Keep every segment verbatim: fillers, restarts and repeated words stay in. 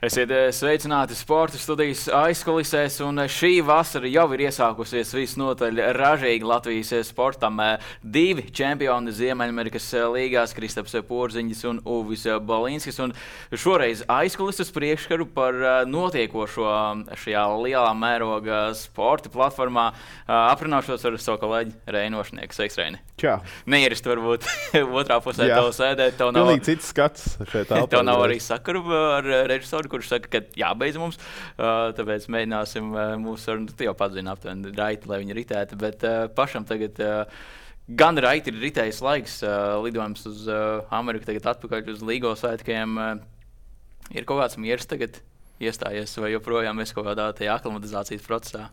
Esiet sveicināti sporta studijas aizkulisēs, un šī vasara jau ir iesākusies visnotaļ ražīgi Latvijas sportam. Divi čempioni Ziemeļamerikas līgās, Kristaps Porziņģis un Uvis Balīnskis, un šoreiz aizkulises priekškaru par notiekošo šajā lielā mēroga sporta platformā aprunāšos ar savu kolēģi Reinu Ošnieku. Sveiks, Reini! Čau! Neierist varbūt otrā pusē tev sēdēt. Tev nav, Pilnīgi cits skats šeit telpā. Tev nav arī sakaru ar režisoru, kurš saka, ka jābeidz mums. Uh, tāpēc mēģināsim uh, mūsu sarunu, tu jau padzini aptuveni raiti, lai viņi ritētu, bet uh, pašam tagad uh, gan raiti ir ritējis laiks, uh, lidojums uz uh, Ameriku, tagad atpakaļ uz Līgo svētkiem. Uh, ir kaut kāds miers tagad iestājies, vai joprojām mēs kaut kādā tajā aklimatizācijas procesā?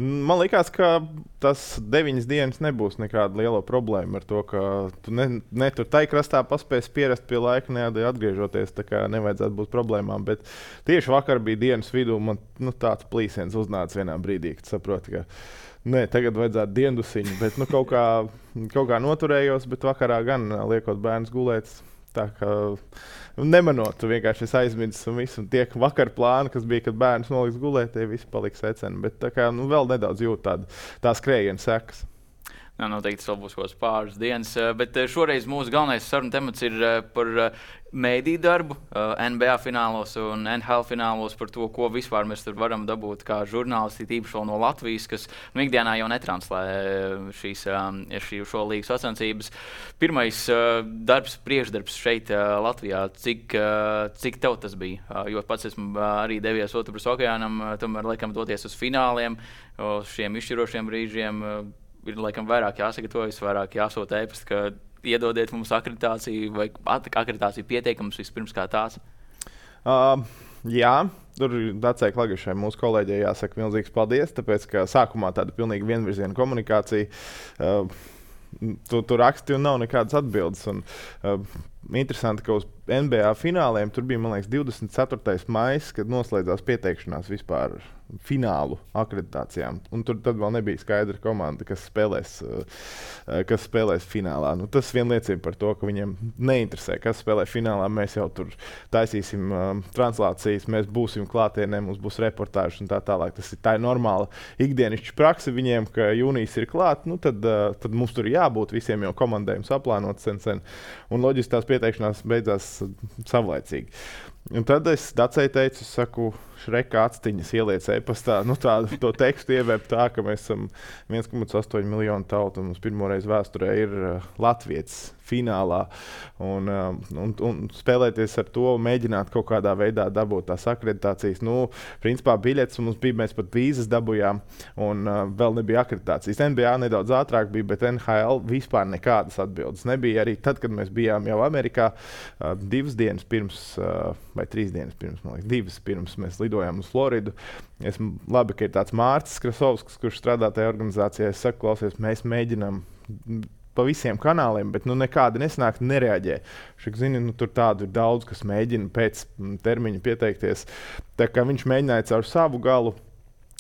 Man liekas, ka tas deviņas dienas nebūs nekāda liela problēma ar to, ka tu ne, ne tur tai krastā paspēsi pierast pie laika, ne atgriežoties, tā kā nevajadzētu būt problēmām. Bet tieši vakar bija dienas vidū, man nu, tāds plīsiens uznāca vienā brīdī, kad saproti, ka nē, tagad vajadzētu diendusiņu, bet nu, kaut, kā, kaut kā noturējos, bet vakarā gan liekot bērnus gulēt. Tā kā nemanot, tu vienkārši aizmirsti un viss. Un tie vakar plāni, kas bija, kad bērns noliks gulēt, tie visi paliks seceni. Bet tā kā nu, vēl nedaudz jūt tādu, tā skrējienu sekas. Jā, noteikti tas vēl būs kaut kāds pāris dienas, bet šoreiz mūsu galvenais saruna temats ir par mēdīju darbu N B A finālos un N H L finālos, par to, ko vispār mēs tur varam dabūt kā žurnālisti, tīpaši vēl no Latvijas, kas nu, ikdienā jau netranslē šīs, šī, šo līgu sacensības. Pirmais darbs, priekšdarbs šeit Latvijā, cik, cik tev tas bija? Jo pats esmu arī devies otrpus okeānam, tomēr laikam doties uz fināliem, uz šiem izšķirošiem brīžiem. Ir laikam vairāk jāsagatavojas, vairāk jāsūta ēpasti, ka iedodiet mums akreditāciju vai akreditāciju pieteikumus vispirms kā tās? Uh, jā, tur Dacei Klagišai mūsu kolēģei jāsaka milzīgs paldies, tāpēc, ka sākumā tāda pilnīgi vienvirziena komunikācija, uh, tu, tu raksti un nav nekādas atbildes. Un, uh, interesanti, ka uz N B A fināliem tur bija, man liekas, divdesmit ceturtais maijs, kad noslēdzās pieteikšanās vispār finālu akreditācijām. Un tur tad vēl nebija skaidra komanda, kas spēlēs, kas spēlēs finālā. Nu, tas vien liecina par to, ka viņiem neinteresē, kas spēlē finālā. Mēs jau tur taisīsim um, translācijas, mēs būsim klātienē, mums būs reportāžas un tā tālāk. Tas ir tā ir normāla ikdienišķa prakse viņiem, ka jūnijas ir klāt, nu tad, uh, tad mums tur jābūt visiem jau komandējums aplānots sen sen. Un loģiski tās pieteikšanās beidzās savlaicīgi. Un tad es Dacei teicu, es saku, Šreka actiņas ieliec e-pastā, nu tādu to tekstu ievērt tā, ka mēs esam viens komats astoņi miljonu tautu un mums pirmoreiz vēsturē ir uh, latvietis finālā. Un, uh, un, un spēlēties ar to, mēģināt kaut kādā veidā dabūt tās akreditācijas. Nu, principā biļetes mums bija, mēs pat vīzas dabujām un uh, vēl nebija akreditācijas. N B A nedaudz ātrāk bija, bet N H L vispār nekādas atbildes nebija. Arī tad, kad mēs bijām jau Amerikā, uh, divas dienas pirms, uh, vai trīs dienas pirms, man liekas, divas pirms mēs lidojām uz Floridu. Esmu labi, ka ir tāds Mārcis Krasovskis, kurš strādā tajā organizācijā. Es saku, klausies, mēs mēģinām pa visiem kanāliem, bet nu, nekādi nesnāk, nereaģē. Šik, zini, nu, tur tādu ir daudz, kas mēģina pēc termiņa pieteikties. Tā kā viņš mēģināja caur savu galu,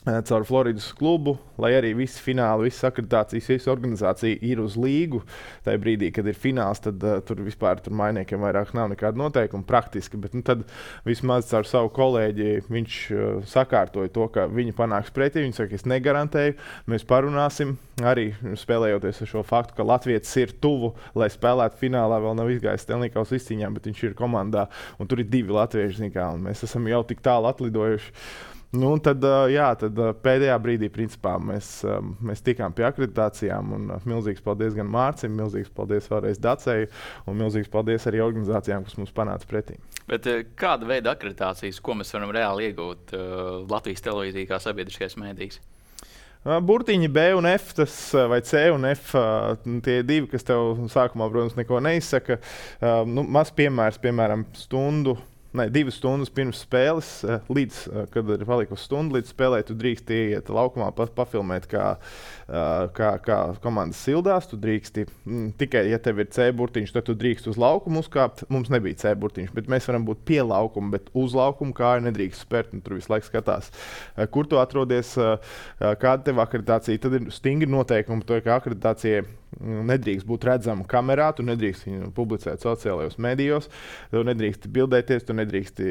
caur Floridas klubu, lai arī visi fināli, visas akreditācijas, visa organizācija ir uz līgu. Tajā brīdī, kad ir fināls, tad uh, tur vispār tur mainiekiem vairāk nav nekāda noteikuma praktiski, bet nu, tad vismaz caur savu kolēģi viņš uh, sakārtoja to, ka viņi panāks pretī. Viņi saka, es negarantēju, mēs parunāsim, arī spēlējoties ar šo faktu, ka Latvietis ir tuvu, lai spēlētu finālā, vēl nav izgājis Stanley Kausa izcīņām, bet viņš ir komandā, un tur ir divi latvieši, kā, un mēs esam jau tik tālu atlidojuši. Nu, un tad, jā, tad pēdējā brīdī principā, mēs, mēs tikām pie akreditācijām. Un milzīgs paldies gan Mārcim, milzīgs paldies vēlreiz Dacei un milzīgs paldies arī organizācijām, kas mums panāca pretī. Bet kāda veida akreditācijas, ko mēs varam reāli iegūt uh, Latvijas televīzija kā sabiedriskais mēdījis? Burtiņi B un F, tas, vai C un F, tie divi, kas tev sākumā, protams, neko neizsaka. Nu, maz piemērs, piemēram, stundu. Ne, divas stundas pirms spēles, līdz, kad ir palikusi stunda līdz spēlē, tu drīkst iet laukumā pa, pafilmēt, kā, kā, kā komandas sildās. Tu drīksti, m, tikai, ja tev ir C burtiņš, tad tu drīkst uz laukumu uzkāpt. Mums nebija C burtiņš, bet mēs varam būt pie laukuma, bet uz laukumu kāju nedrīkst spērt. Tur visu laiku skatās, kur tu atrodies, kāda tev akreditācija. Tad ir stingri noteikumi, to, ka akreditācija nedrīkst būt redzama kamerā, tu nedrīkst viņu publicēt sociālajos medijos, tu nedrīkst bildēties, tu nedrīkst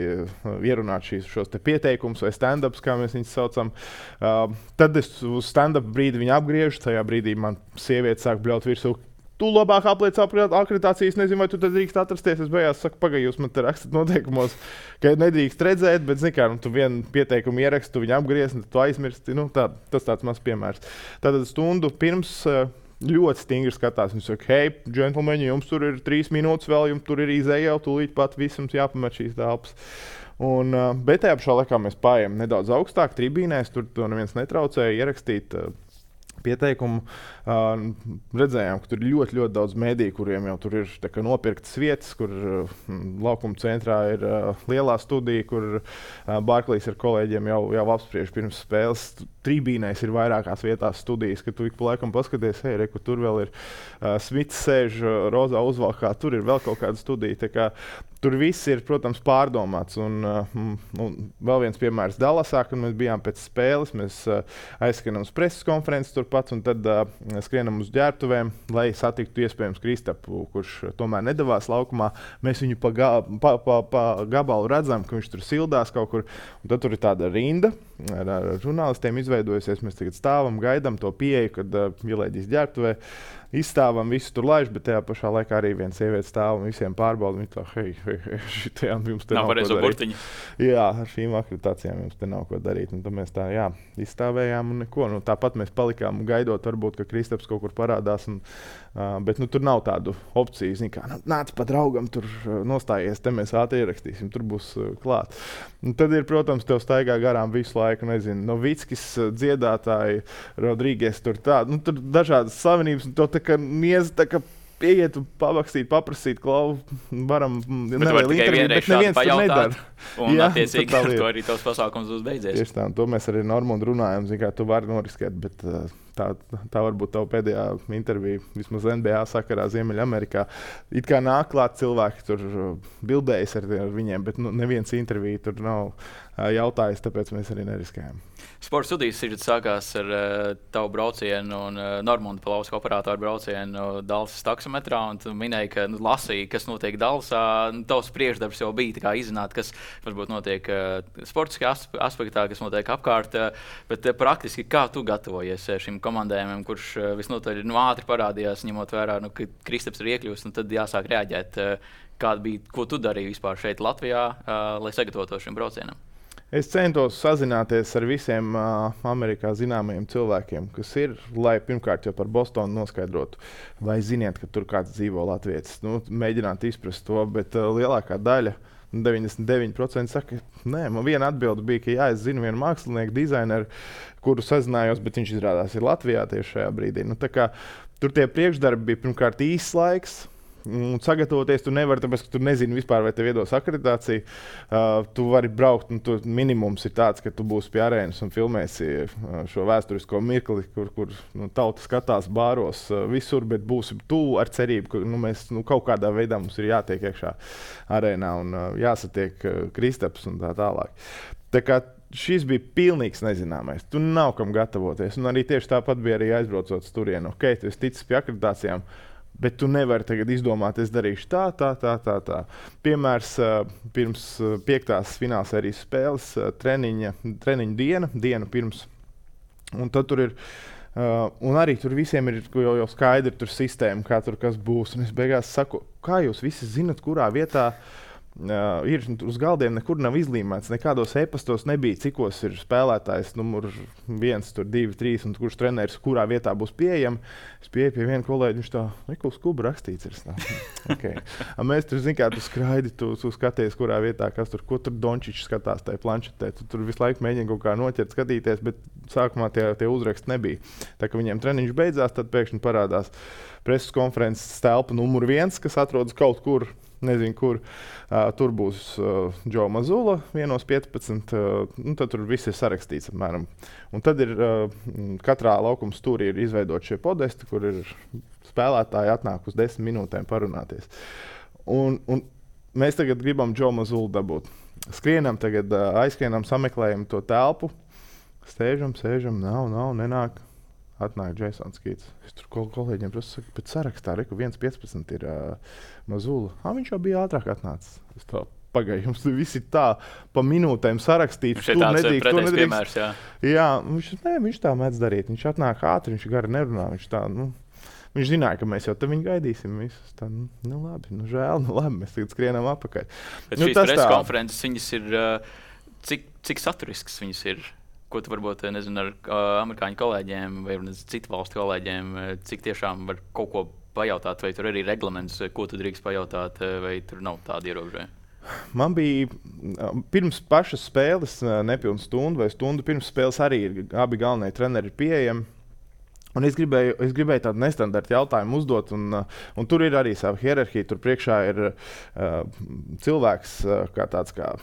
ierunāt šīs, šos te pieteikumus vai stand-ups, kā mēs viņus saucam. Uh, tad es uz stand-up brīdi viņu apgriežu, tajā brīdī man sieviete sāk bļaut virsū. Tu labāk apliec akreditācijas, nezinu, vai tu te drīkst atrasties. Es beigās saku, pagaidi, jūs man te rakstat noteikumos, ka nedrīkst redzēt, bet, zini kā, nu, tu vienu pieteikumu ieraksti, tu viņu apgriez, un tu aizmirsti. Nu, tā, tas tāds mazs piemērs. Tātad stundu pirms ļoti stingri skatās. Viņš saka, hei, džentlmeņi, jums tur ir trīs minūtes vēl, jums tur ir izēja jau, tūlīt pat visam jāpamet šīs telpas. Un, bet tajā pašā laikā mēs paējam nedaudz augstāk tribīnēs, tur to neviens netraucēja ierakstīt pieteikumu. Uh, redzējām, ka tur ir ļoti, ļoti daudz mediju, kuriem jau tur ir kā, nopirktas vietas, kur uh, laukuma centrā ir uh, lielā studija, kur uh, Barclays ar kolēģiem jau, jau apspriež pirms spēles. Tribīnēs ir vairākās vietās studijas, ka tu ik pa laikam paskaties, hei, re, kur tur vēl ir uh, Smits sēž uh, rozā uzvalkā, tur ir vēl kaut kāda studija. Tā kā, tur viss ir, protams, pārdomāts. Un, uh, un vēl viens piemērs Dallasā, kad mēs bijām pēc spēles, mēs uh, aizskanam uz preses konferences turpat, un tad uh, skrienam uz ģērbtuvēm, lai satiktu iespējams Kristapu, kurš tomēr nedavās laukumā. Mēs viņu pa, ga, pa, pa, pa gabalu redzam, ka viņš tur sildās kaut kur, un tad tur ir tāda rinda ar, ar žurnālistiem izveidojusies. Mēs tagad stāvam, gaidām to pieeju, kad uh, ielēģīs ģērbtuvē. Izstāvam, visu tur laiž, bet tajā pašā laikā arī viena sieviete stāv un visiem pārbauda. Viņa tā, hei, hei, hei, šitajām jums te nav, nav ko darīt. Jā, ar šīm akreditācijām jums te nav ko darīt. Un tad mēs tā, jā, izstāvējām un neko. Nu, tāpat mēs palikām gaidot, varbūt, ka Kristaps kaut kur parādās. Un, uh, bet nu, tur nav tādu opciju. Zin, kā, nāc pa draugam, tur nostājies, te mēs ātri ierakstīsim, tur būs uh, klāt. Un tad ir, protams, tev staigā garām visu laiku, nezinu, Novickis dziedātāji, Rodrīgies, tur tā, nu, tur dažādas slavenības, un to tā kā niez, tā kā ieiet un pavakstīt, paprasīt, klau, varam nelielu interviju, bet neviens tur nedara. Un jā, attiecīgi ar to arī tos pasākums būs beidzies. Tieši tā, un to mēs arī Normundu runājam, zin kā, tu vari noriskēt, bet uh, tā, tā varbūt tava pēdējā intervija, vismaz N B A sakarā Ziemeļamerikā. It kā nāk klāt cilvēki, tur bildējas ar, ar viņiem, bet nu, neviens intervija tur nav uh, jautājis, tāpēc mēs arī neriskējam. Sporta studijas sākās ar uh, tavu braucienu un uh, Normunda Palauska operātoru braucienu Dallasas taksometrā, un tu minēji, ka nu, lasīji, kas notiek Dallasā. Nu, tavs priekšdarbs jau bija tā kā izzināt, kas varbūt notiek uh, sportiskā aspektā, kas notiek apkārt, uh, bet uh, praktiski kā tu gatavojies šim komandējumam, kurš uh, visnotaļ nu, ātri parādījās, ņemot vērā, nu, ka Kristaps ir iekļūst, un tad jāsāk reaģēt. Uh, kāda bija, ko tu darīji vispār šeit Latvijā, uh, lai sagatavotos šim braucienam? Es centos sazināties ar visiem uh, Amerikā zināmajiem cilvēkiem, kas ir, lai pirmkārt jau par Bostonu noskaidrotu, vai ziniet, ka tur kāds dzīvo latvietis. Nu, mēģināt izprast to, bet uh, lielākā daļa, deviņdesmit deviņi procenti saka, nē, man viena atbilde bija, ka jā, es zinu vienu mākslinieku, dizaineru, kuru sazinājos, bet viņš izrādās ir Latvijā tieši šajā brīdī. Nu, tā kā, tur tie priekšdarbi bija pirmkārt īsts laiks. Un sagatavoties tu nevari, tāpēc, ka tu nezini vispār, vai tev iedos akreditāciju. Uh, tu vari braukt, un tu, minimums ir tāds, ka tu būsi pie arēnas un filmēsi uh, šo vēsturisko mirkli, kur, kur nu, tauta skatās bāros uh, visur, bet būsi tuvu ar cerību, ka nu, mēs nu, kaut kādā veidā mums ir jātiek iekšā arēnā un uh, jāsatiek uh, Kristaps un tā tālāk. Tā kā šis bija pilnīgs nezināmais. Tu nav kam gatavoties. Un arī tieši tāpat bija arī aizbraucot uz turienu. Ok, tu esi ticis pie akreditācijām, bet tu nevari tagad izdomāt, es darīšu tā, tā, tā, tā. tā. Piemērs pirms piektās finālsērijas spēles treniņa, treniņa diena, diena pirms. Un tad tur ir, uh, un arī tur visiem ir jau, jau skaidri tur sistēma, kā tur kas būs. Un es beigās saku, kā jūs visi zinat, kurā vietā Uh, ir uz galdiem nekur nav izlīmēts, nekādos e-pastos nebija, cikos ir spēlētājs numur viens, tur divi, trīs, un kurš treneris, kurā vietā būs pieejami. Es pieeju pie viena kolēģi, viņš tā, neko skubu rakstīts ir. Okay. Mēs tur, zin kā, tu skraidi, tu, tu skaties, kurā vietā, kas tur, ko tur Dončičs skatās tajā planšetē. Tu tur visu laiku mēģini kaut kā noķert, skatīties, bet sākumā tie, tie uzraksti nebija. Tā kā viņiem treniņš beidzās, tad pēkšņi parādās preses konferences telpa numur viens, kas atrodas kaut kur, nezinu, kur. Uh, tur būs uh, Džo Mazula, vienos piecpadsmit, uh, un tad tur viss ir sarakstīts apmēram. Un tad ir uh, katrā laukuma stūrī ir izveidot šie podesti, kur ir spēlētāji atnāk uz desmit minūtēm parunāties. Un, un mēs tagad gribam Džo Mazulu dabūt. Skrienam tagad, uh, aizskrienam, sameklējam to telpu, stēžam, sēžam, nav, nav, nenāk. Atnāk Jasons Kīts. Es tur kol kolēģiem prasu, pēc sarakstā, reku viens piecpadsmit ir uh, Mazula. Ah, viņš jau bija ātrāk atnācis. Es tā, pagaidi, jums viss ir tā pa minūtēm sarakstīts. Šeit tāds nedrīkst, pretējs piemērs, jā. Jā, viņš, ne, viņš tā mēdz darīt. Viņš atnāk ātri, viņš gari nerunā. Viņš, tā, nu, viņš zināja, ka mēs jau te viņu gaidīsim. Visus. Tā, nu, nu labi, nu žēl, nu labi, mēs tagad skrienam apakaļ. Bet nu, šīs preses konferences, viņas ir, cik, cik saturisks viņas ir? Ko tu varbūt, nezinu, ar uh, amerikāņu kolēģiem vai nezinu, citu valstu kolēģiem, cik tiešām var kaut ko pajautāt, vai tur arī reglaments, ko tu drīkst pajautāt, vai tur nav tāda ierobežojuma? Man bija pirms pašas spēles, nepilnu stundu vai stundu pirms spēles arī abi galvenie treneri ir pieejami. Un es gribēju, es gribēju tādu nestandarta jautājumu uzdot, un, un tur ir arī sava hierarhija. Tur priekšā ir uh, cilvēks, uh, kā tāds kā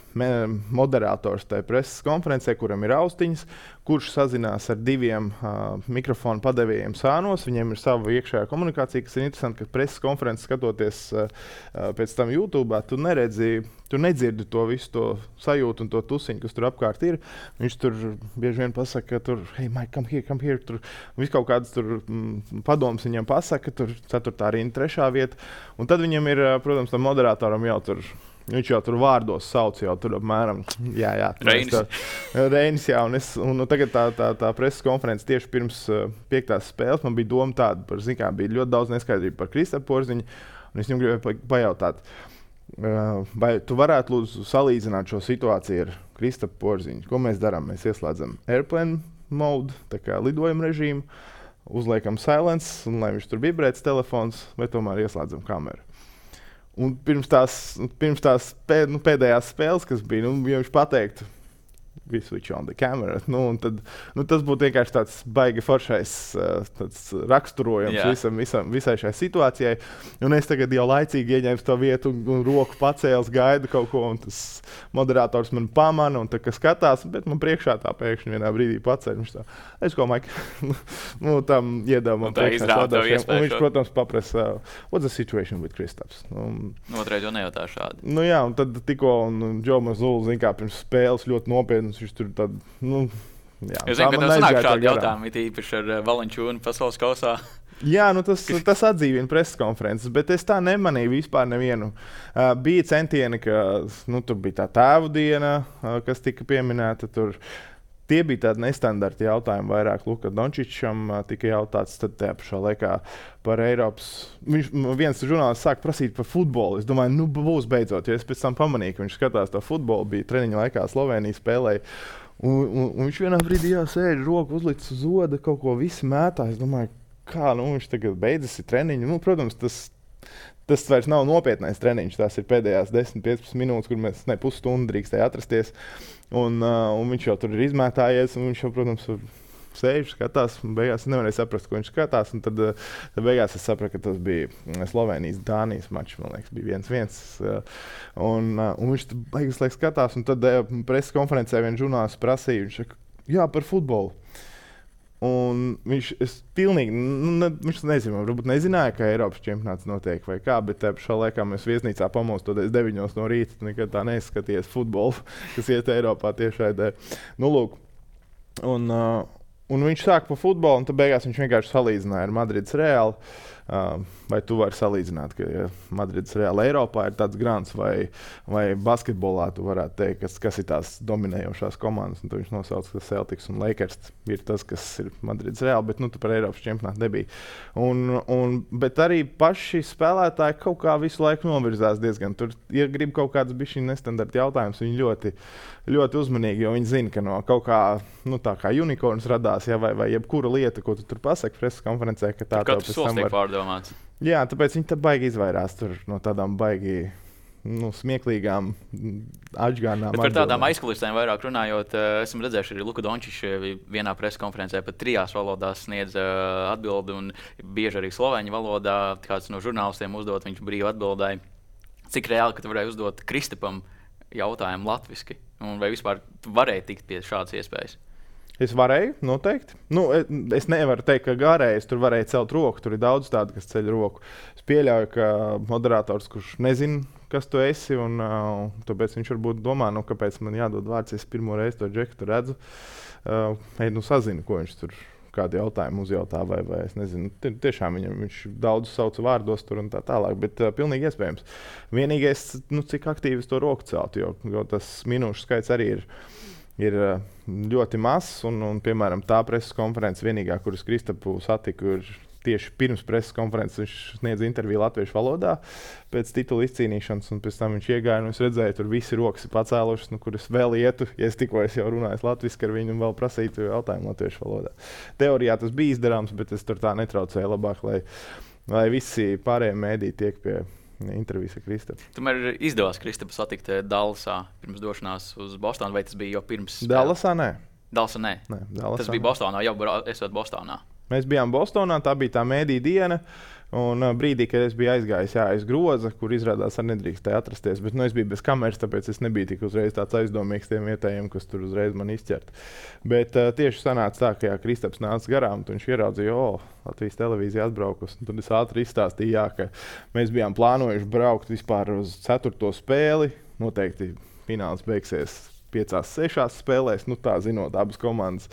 moderators tajā preses konferencē, kuram ir austiņas, kurš sazinās ar diviem uh, mikrofonu padevējiem sānos. Viņiem ir sava iekšējā komunikācija, kas ir interesanti, ka preses konferences skatoties uh, pēc tam YouTube, tu neredzi, tu nedzirdi to visu to sajūtu un to tusiņu, kas tur apkārt ir. Viņš tur bieži vien pasaka, ka tur, hey, Mike, come here, come here. Tur viss kaut kādas tur mm, padomas viņam pasaka, tur ceturtā rinda, trešā vieta. Un tad viņam ir, protams, tam moderatoram jau tur, viņš jau tur vārdos sauc, jau tur apmēram, jā, jā. Reinis. Reinis, jā, un, es, un tagad tā, tā, tā preses konferences tieši pirms uh, piektās spēles, man bija doma tāda, par, zin kā, bija ļoti daudz neskaidrību par Kristapu Porziņu, un es viņam gribēju pajautāt, uh, vai tu varētu lūdzu salīdzināt šo situāciju ar Kristapu Porziņu? Ko mēs darām? Mēs ieslēdzam airplane mode, tā kā lidojuma režīmu, uzliekam silence, un lai viņš tur vibrēts telefons, vai tomēr ieslēdzam kameru. Un pirms tās, pirms tās pēd, nu, pēdējās spēles, kas bija, nu, ja viņš pateiktu, we switch on the camera, nu, un tad, nu, tas būtu vienkārši tāds baigi foršais tāds raksturojums yeah. visam, visam, visai šai situācijai. Un es tagad jau laicīgi ieņēmu to vietu un, un roku pacēlis, gaidu kaut ko, un tas moderators man pamana, un tā, ka skatās, bet man priekšā tā pēkšņi vienā brīdī paceļ. Viņš tā, es ko, Mike, nu, tam iedeva man priekšā šādošiem. Un viņš, protams, paprasa, what's the situation with Kristaps? Nu, Otrais jau nejautā šādi. Nu jā, un tad tikko, un Džo Mazula, zin kā, pirms spēles ļoti nopietni, viņš tur tad, nu, jā. Es zinu, ka tev sanāk šādi jautājumi, it īpaši ar Valančūnu pasaules kausā. Jā, nu tas, tas atdzīvina preses konferences, bet es tā nemanīju vispār nevienu. Uh, bija centieni, ka, nu, tur bija tā tēvu diena, uh, kas tika pieminēta, tur tie bija tādi nestandarti jautājumi vairāk. Luka Dončičam uh, tika jautāts, tad tajā pašā laikā par Eiropas. Viņš, viens žurnālists sāk prasīt par futbolu. Es domāju, nu būs beidzot, jo es pēc tam pamanīju, ka viņš skatās to futbolu, bija treniņa laikā Slovenija spēlēja. Un, un, un viņš vienā brīdī jā, sēž, roku uzlicis uz oda, kaut ko visi mētā. Es domāju, kā nu, viņš tagad beidzas ir treniņu. Nu, protams, tas, tas vairs nav nopietnais treniņš. Tās ir pēdējās desmit piecpadsmit minūtes, kur mēs ne pusstundu drīkstēja atrasties. Un, uh, un viņš jau tur ir izmētājies, un viņš jau, protams, sēž, skatās, un beigās es nevarēju saprast, ko viņš skatās. Un tad, tad beigās es sapratu, ka tas bija Slovenijas-Dānijas mačs, man liekas, bija viens viens. Un, un viņš beigas laiks skatās, un tad preses konferencē viens žurnālists prasīja, viņš saka, jā, par futbolu. Un viņš, es pilnīgi, nu, ne, viņš nezinu, varbūt nezināja, ka Eiropas čempionāts notiek vai kā, bet tajā pašā laikā mēs viesnīcā pamostoties deviņos no rīta, nekad tā neskaties futbolu, kas iet Eiropā tiešraidē. Nu, lūk, un, uh, un viņš sāk par futbolu, un tad beigās viņš vienkārši salīdzināja ar Madrides Reālu. Uh, vai tu vari salīdzināt, ka ja Madrides Reāla Eiropā ir tāds grants, vai, vai basketbolā tu varētu teikt, kas, kas ir tās dominējošās komandas. Un viņš nosauca, ka Celtics un Lakers ir tas, kas ir Madrides Reāla, bet nu, tu par Eiropas čempionātu nebija. Un, un, bet arī paši spēlētāji kaut kā visu laiku novirzās diezgan. Tur, ja grib kaut kāds bišķi nestandarta jautājums, viņi ļoti, ļoti uzmanīgi, jo viņi zina, ka no kaut kā, nu, tā kā unikorns radās, ja, vai, vai jebkura lieta, ko tu tur pasaki preses konferencē, ka tā tev pēc tam var... Domāts. Jā, tāpēc viņi tā baigi izvairās tur no tādām baigi nu, smieklīgām atžgānām. Bet par tādām aizkulisēm vairāk runājot, esam redzējuši arī Luka Dončičs vienā preses konferencē pat trijās valodās sniedz atbildi, un bieži arī slovēņu valodā kāds no žurnālistiem uzdot, viņš brīvi atbildēja. Cik reāli, ka tu varēji uzdot Kristapam jautājumu latviski? Un vai vispār tu varēji tikt pie šādas iespējas? Es varēju, noteikti. Nu, es nevaru teikt, ka gārējais tur varēja celt roku. Tur ir daudz tādu, kas ceļ roku. Es pieļauju, ka moderators, kurš nezina, kas tu esi, un uh, tāpēc viņš varbūt domā, nu, kāpēc man jādod vārds, es pirmo reizi to džeku redzu. Uh, ej, nu, sazinu, ko viņš tur, kādu jautājumu uzjautā, vai, vai es nezinu, tiešām viņam, viņš daudz sauc vārdos tur un tā tālāk, bet uh, pilnīgi iespējams. Vienīgais, nu, cik aktīvi es to roku celtu, jo, jo tas minūšu skaits arī ir, ir ļoti mazs, un, un, piemēram, tā preses konferences vienīgā, kuras Kristapu satiku, ir tieši pirms preses konferences viņš sniedz interviju latviešu valodā pēc titula izcīnīšanas, un pēc tam viņš iegāja, un es redzēju, tur visi rokas ir pacēlušas, nu, kur es vēl ietu, ja es tikko es jau runāju latviski ar viņu un vēl prasītu jautājumu latviešu valodā. Teorijā tas bija izdarāms, bet es tur tā netraucēju labāk, lai, lai visi pārējie mēdī tiek pie intervijas ar Kristapu. Tomēr izdevās Kristapu satikt Dallasā pirms došanās uz Bostonu, vai tas bija jau pirms? Dallasā, nē. Dallasā, nē. nē Dallasā, tas bija Bostonā, jau esot Bostonā. Mēs bijām Bostonā, tā bija tā mēdī diena, un brīdī, kad es biju aizgājis jā, aiz groza, kur izrādās ar nedrīkstēju atrasties, bet nu, es biju bez kameras, tāpēc es nebiju tik uzreiz tāds aizdomīgs tiem vietējiem, kas tur uzreiz man izķert. Bet uh, tieši sanāca tā, ka jā, Kristaps nāca garām, un viņš ieraudzīja, o, Latvijas televīzija atbraukus, un tad es ātri izstāstīju, jā, ka mēs bijām plānojuši braukt vispār uz ceturto spēli, noteikti fināls beigsies piecās, sešās spēlēs, nu tā zinot abas komandas.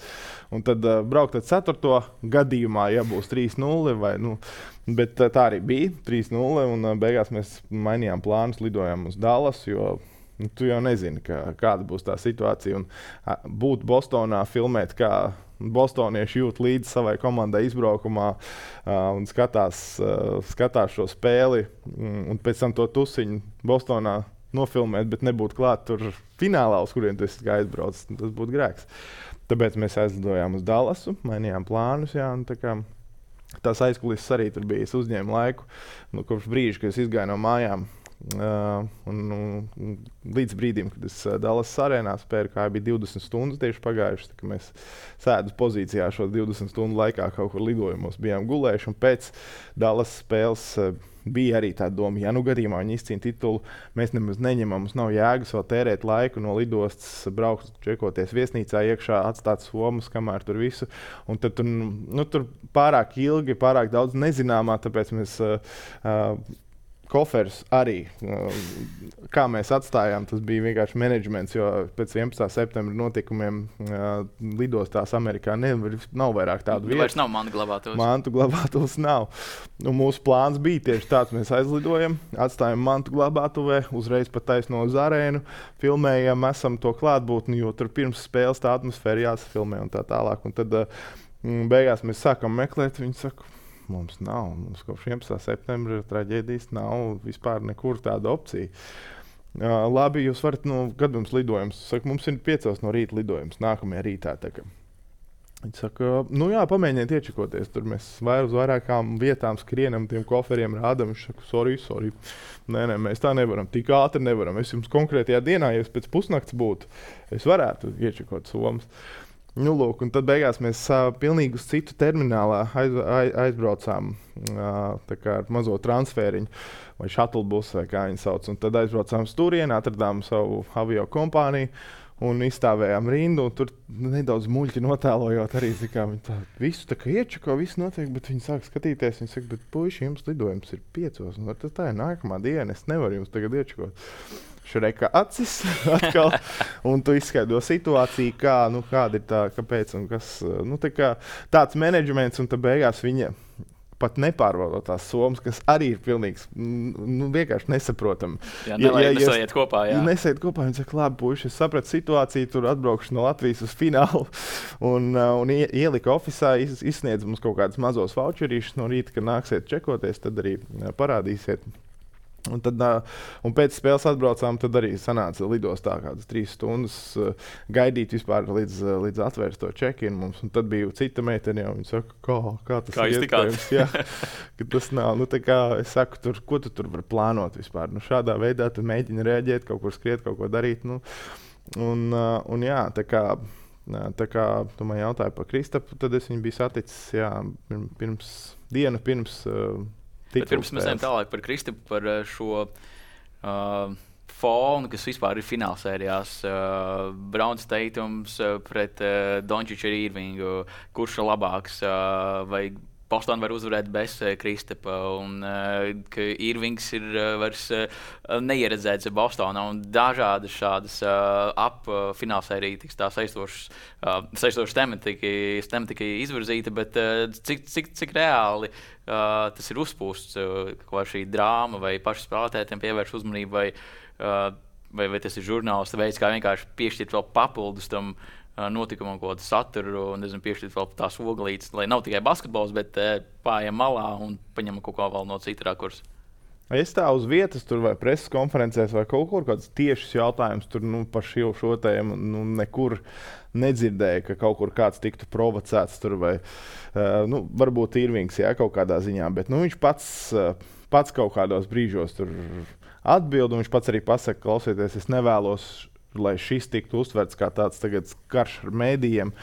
Un tad uh, braukt ar ceturto gadījumā, ja būs trīs nulle, vai, nu, bet uh, tā arī bija, trīs nulle, un uh, beigās mēs mainījām plānus, lidojām uz Dallas, jo nu, tu jau nezini, ka, kāda būs tā situācija. Un uh, būt Bostonā, filmēt, kā bostonieši jūt līdzi savai komandai izbraukumā uh, un skatās, uh, skatās šo spēli, um, un pēc tam to tusiņu Bostonā nofilmēt, bet nebūtu klāt tur finālā, uz kuriem tu esi aizbraucis. Tas būtu grēks. Tāpēc mēs aizlidojām uz Dallasu, mainījām plānus. Jā, tā kā, tās aizkulises arī tur bija. Es uzņēmu laiku nu, kopš brīža, kad es izgāju no mājām. Uh, un, un, līdz brīdim, kad es Dallasas arēnā spēju, kā bija divdesmit stundas tieši pagājušas, tā, mēs sēdus pozīcijā šo divdesmit stundu laikā kaut kur lidojumos bijām gulējuši, un pēc Dallasas spēles uh, bija arī tā doma, ja nu gadījumā viņi izcīna titulu, mēs nemaz neņemam, mums nav jēgas vēl tērēt laiku no lidostas, braukt, čekoties viesnīcā iekšā, atstāt somas, kamēr tur visu. Un tad tur, nu, tur pārāk ilgi, pārāk daudz nezināmā, tāpēc mēs uh, uh, koferus arī, kā mēs atstājām, tas bija vienkārši menedžments, jo pēc vienpadsmitā septembra notikumiem uh, lidostās Amerikā nevar, nav vairāk tādu vietu. Vairs nav mantu glabātuvs. Mantu glabātuvs nav. Un mūsu plāns bija tieši tāds, mēs aizlidojam, atstājam mantu glabātuvē, uzreiz pat taisno uz arēnu, filmējam, esam to klātbūtni, jo tur pirms spēles tā atmosfēra jāsafilmē un tā tālāk. Un tad uh, beigās mēs sākam meklēt, viņi saka, mums nav, mums kopš vienpadsmitā septembra traģēdijas nav vispār nekur tāda opcija. Uh, labi, jūs varat, nu, kad mums lidojums? Saka, mums ir piecos no rīta lidojums, nākamajā rītā. Viņi saka, nu jā, pamēģiniet iečakoties. Tur mēs vair uz vairākām vietām skrienam, tiem koferiem rādam. Viņš saka, sorry, sorry. Nē, nē, mēs tā nevaram, tik ātri nevaram. Es jums konkrētajā dienā, ja es pēc pusnakts būtu, es varētu iečakot somas. Nu, lūk, un tad beigās mēs uh, pilnīgi uz citu terminālā aiz, aiz, aizbraucām uh, tā kā ar mazo transfēriņu vai shuttle busu, vai kā viņi sauc. Un tad aizbraucām uz turieni, atradām savu avio kompāniju un izstāvējām rindu. Un tur nedaudz muļķi notēlojot arī, kā viņi tā visu tā kā iečako, viss notiek, bet viņi sāk skatīties. Viņi saka, bet puiši, jums lidojums ir piecos, un tas tā ir nākamā diena, es nevaru jums tagad iečakot. Šreka acis atkal, un tu izskaidro situāciju, kā, nu, kāda ir tā, kāpēc un kas. Nu, tā kā tāds menedžments, un tad beigās viņa pat nepārvalda tās somas, kas arī ir pilnīgs, nu, vienkārši nesaprotami. Jā, nelai, ja, ja, nesaiet kopā, jā. Nesaiet kopā, viņi saka, labi, puiši, es sapratu situāciju, tur atbraukšu no Latvijas uz finālu, un, un ielika ofisā, iz, izsniedz mums kaut kādas mazos voucherīšus no rīta, kad nāksiet čekoties, tad arī parādīsiet. Un, tad, un pēc spēles atbraucām, tad arī sanāca lidostā kādas trīs stundas uh, gaidīt vispār līdz, uh, līdz atvērt to check-in mums. Un tad bija cita meitene, un viņa saka, kā, kā tas kā ir iespējams. Jā, ka tas nav. Nu, tā kā es saku, tur, ko tu tur var plānot vispār? Nu, šādā veidā tu mēģini reaģēt, kaut kur skriet, kaut ko darīt. Nu, un, uh, un jā, tā kā, tā kā tu man jautāji par Kristapu, tad es viņu biju saticis jā, pirms dienu pirms uh, Bet pirms mēs ejam tālāk par Kristapu, par šo uh, fonu, kas vispār ir finālsērijās. Uh, Browns Tatums uh, pret uh, Dončiču ar Irvingu. Kurš ir labāks? Uh, vai Bostonā var uzvarēt bez uh, Kristapa, un uh, ka Irvings ir uh, vairs uh, neieredzēts Bostonā, un dažādas šādas uh, ap-finālsērija tiks tā saistošas uh, saistošas tematika, tematika izvirzīta, bet uh, cik, cik, cik reāli uh, tas ir uzpūsts, uh, kā šī drāma vai paši spēlētājiem pievērš uzmanību, vai, uh, vai, vai tas ir žurnālisti veids, kā vienkārši piešķirt vēl papildus tam notikumam, ko saturu, un nezinu, piešķirt vēl tās oglītes, lai nav tikai basketbols, bet uh, pājam malā un paņem kaut ko vēl no cita rakursa. Es tā uz vietas, tur vai preses konferencēs, vai kaut kur kāds tiešs jautājums tur nu, par šo, šo tēmu nu, nekur nedzirdēju, ka kaut kur kāds tiktu provocēts tur vai, uh, nu, varbūt Irvings, jā, kaut kādā ziņā, bet nu, viņš pats, uh, pats kaut kādos brīžos tur atbild, un viņš pats arī pasaka, klausieties, es nevēlos, lai šis tiktu uztverts kā tāds tagad karš ar mēdījiem.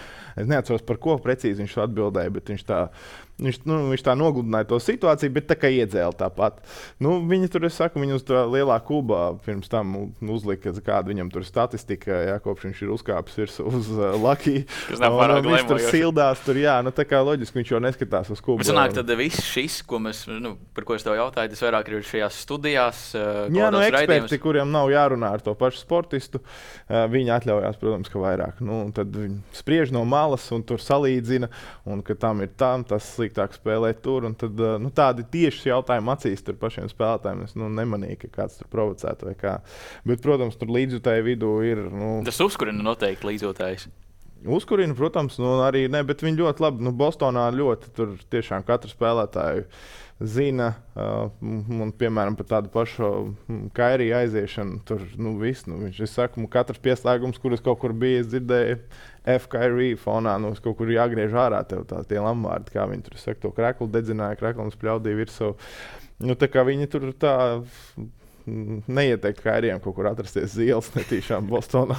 Es neatceros, par ko precīzi viņš atbildēja, bet viņš tā, viņš, nu, viņš tā nogludināja to situāciju, bet tā kā iedzēla tāpat. Nu, viņi tur, es saku, viņi uz tā lielā kubā pirms tam uzlika, kāda viņam tur statistika, jā, kopš viņš ir uzkāpis virs uz uh, Lucky. Kas nav pārāk viņš tur sildās, tur, jā, nu tā kā loģiski viņš jau neskatās uz kubu. Bet sanāk, tad viss šis, ko mēs, nu, par ko es tev jautāju, tas vairāk ir šajās studijās. Uh, jā, nu eksperti, raidījums. Kuriem nav jārunā ar to pašu sportistu, uh, viņi atļaujās, protams, ka vairāk. Nu, tad viņi spriež no malas un tur salīdzina, un ka tam ir tam, tas sliktāk spēlēt tur, un tad, nu, tādi tieši jautājumi acīs tur pašiem spēlētājiem. Es nu, nemanīju, ka kāds tur provocētu vai kā. Bet, protams, tur līdzjutēju vidū ir... Nu, tas uzkurina noteikti līdzjutējs. Uzkurina, protams, nu, arī ne, bet viņi ļoti labi, nu, Bostonā ļoti tur tiešām katru spēlētāju zina, uh, un, piemēram, par tādu pašu Kairiju aiziešanu, tur, nu, viss, nu, viņš, es saku, katrs pieslēgums, kuras kaut kur bija, es dzirdēju F. Kairiju fonā, nu, kaut kur jāgriež ārā tev tā, tie lamvārdi, kā viņi tur, saka, to kreklu dedzināja, kreklu un spļaudīja virsū. Nu, tā kā viņi tur tā neieteikt Kairijam kaut kur atrasties zīles netīšām Bostonā.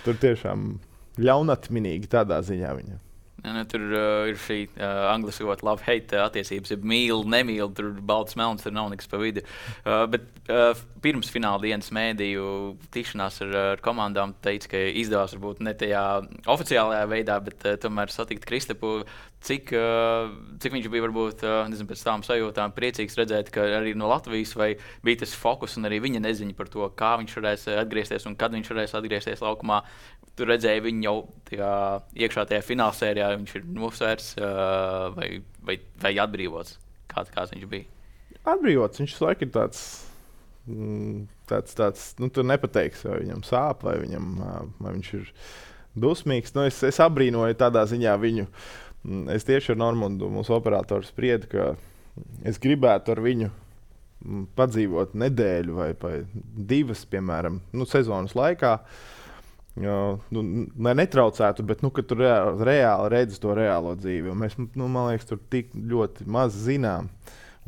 Tur tiešām ļaunatminīgi tādā ziņā viņa. Ja, ne, tur uh, ir šī uh, angliski ļoti love-hate attiecības, ja mīl, nemīl, tur balts melns, tur nav nekas pa vidu. Uh, bet uh, pirms fināla dienas mēdīju tikšanās ar, ar komandām teica, ka izdevās varbūt ne tajā oficiālajā veidā, bet uh, tomēr satikt Kristapu. Cik, uh, cik viņš bija varbūt, uh, nezinu, pēc tām sajūtām priecīgs redzēt, ka arī no Latvijas vai bija tas fokus un arī viņa neziņa par to, kā viņš varēs atgriezties un kad viņš varēs atgriezties laukumā. Tur redzēja viņu jau tajā, iekšā tajā finālsērijā, viņš ir nosvērts uh, vai, vai, vai atbrīvots. Kā, kāds viņš bija? Atbrīvots, viņš laikam ir tāds, tāds, tāds nu, tu nepateiksi, vai viņam sāp, vai, viņam, vai viņš ir dusmīgs. Nu, es, es abrīnoju tādā ziņā viņu. Es tieši ar Normundu, mūsu operatoru, spriedu, ka es gribētu ar viņu padzīvot nedēļu vai, vai divas, piemēram, nu, sezonas laikā. Jo, nu, lai netraucētu, bet nu, tu reāli, reāli redzi to reālo dzīvi. Mēs, nu, man liekas, tur tik ļoti maz zinām.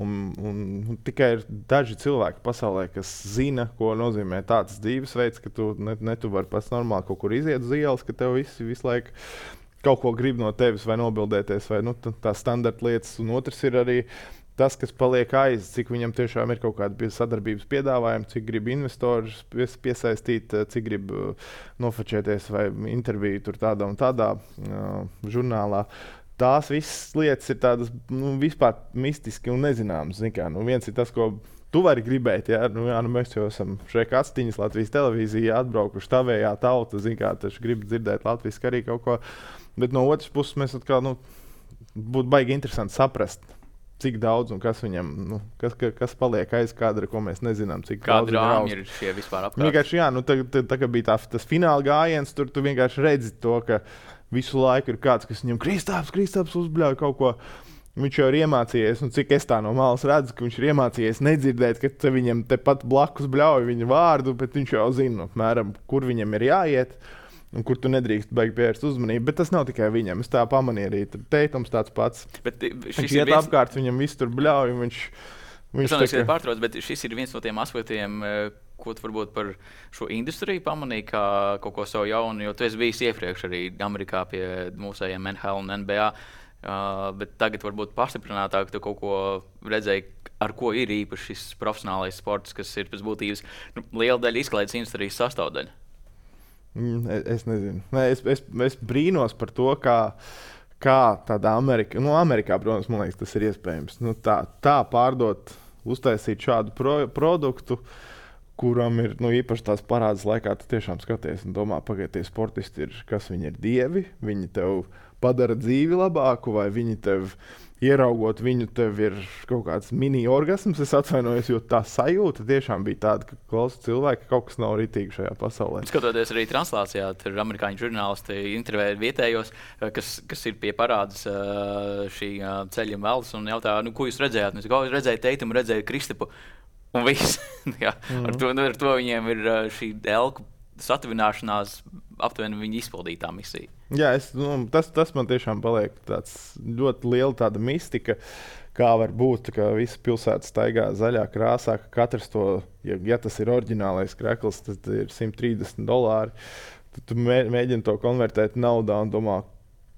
Un, un, un tikai ir daži cilvēki pasaulē, kas zina, ko nozīmē tāds dzīvesveids, ka tu ne, ne tu vari pats normāli kaut kur iziet uz ielas, ka tev visi visu laiku kaut ko grib no tevis vai nobildēties, vai nu, tā standarta lietas. Un otrs ir arī tas, kas paliek aiz, cik viņam tiešām ir kaut kāda sadarbības piedāvājuma, cik grib investorus piesaistīt, cik grib nofočēties vai interviju tur tādā un tādā uh, žurnālā. Tās visas lietas ir tādas nu, vispār mistiski un nezināmas. Kā, nu, viens ir tas, ko tu vari gribēt. Jā, nu, jā, nu, mēs jau esam šeit atstiņas Latvijas televīzijā atbraukuši tavējā tauta, zin kā, taču grib dzirdēt latviski arī kaut ko. Bet no otras puses mēs atkal, nu, būtu baigi interesanti saprast, cik daudz un kas viņam, nu, kas, kas paliek aiz kadra, ko mēs nezinām, cik Kāda daudz rāmi ir šie vispār apkārt? Vienkārši, jā, nu, tā, tā, tā kā bija tā, tas fināla gājiens, tur tu vienkārši redzi to, ka visu laiku ir kāds, kas viņam Kristaps, Kristaps uzbļauj kaut ko. Viņš jau ir iemācījies, nu, cik es tā no malas redzu, ka viņš ir iemācījies nedzirdēt, ka te viņam tepat blakus bļauj viņa vārdu, bet viņš jau zina, apmēram, kur viņam ir jāiet. Un kur tu nedrīkst beigt pievērst uzmanību, bet tas nav tikai viņam. Es tā pamanīju arī. Teitums tāds pats. Bet viņš iet viens... apkārt, viņam viss tur bļauj. Viņš, viņš es domāju, ka pārtrauc, bet šis ir viens no tiem aspektiem, ko tu varbūt par šo industriju pamanīji, kā kaut ko savu jaunu, jo tu esi bijis iepriekš arī Amerikā pie mūsējiem N H L un N B A, uh, bet tagad varbūt pastiprinātāk tu kaut ko redzēji, ar ko ir īpaši šis profesionālais sports, kas ir pēc būtības nu, liela daļa izklaides industrijas sastāvdaļa. Es nezinu. Nē, es, es, es brīnos par to, kā, kā tādā Amerikā, nu, Amerikā, protams, man liekas, tas ir iespējams. Nu, tā, tā pārdot, uztaisīt šādu pro, produktu, kuram ir nu, īpaši tās parādas laikā, tu tiešām skaties un domā, pagaid, tie sportisti ir, kas viņi ir dievi, viņi tev padara dzīvi labāku, vai viņi tev ieraugot viņu, tev ir kaut kāds mini-orgasms, es atvainojos, jo tā sajūta tiešām bija tāda, ka klausa cilvēki, ka kaut kas nav ritīgi šajā pasaulē. Skatoties arī translācijā, tur amerikāņu žurnālisti intervēja vietējos, kas, kas ir pie parādas šī ceļa veldes un jautā, nu, ko jūs redzējāt? Nu, es redzēju Teitumu, redzēju Kristapu un viss. Jā, mm-hmm. ar, to, ar to viņiem ir šī elku satuvināšanās, aptuveni viņa izpildītā misija. Jā, es, nu, tas, tas man tiešām paliek tāds ļoti liela tāda mistika, kā var būt, ka visa pilsēta staigā zaļā krāsā, ka katrs to, ja, ja tas ir oriģinālais krekls, tad ir simt trīsdesmit dolāri. Tad tu mē, mēģini to konvertēt naudā un domā,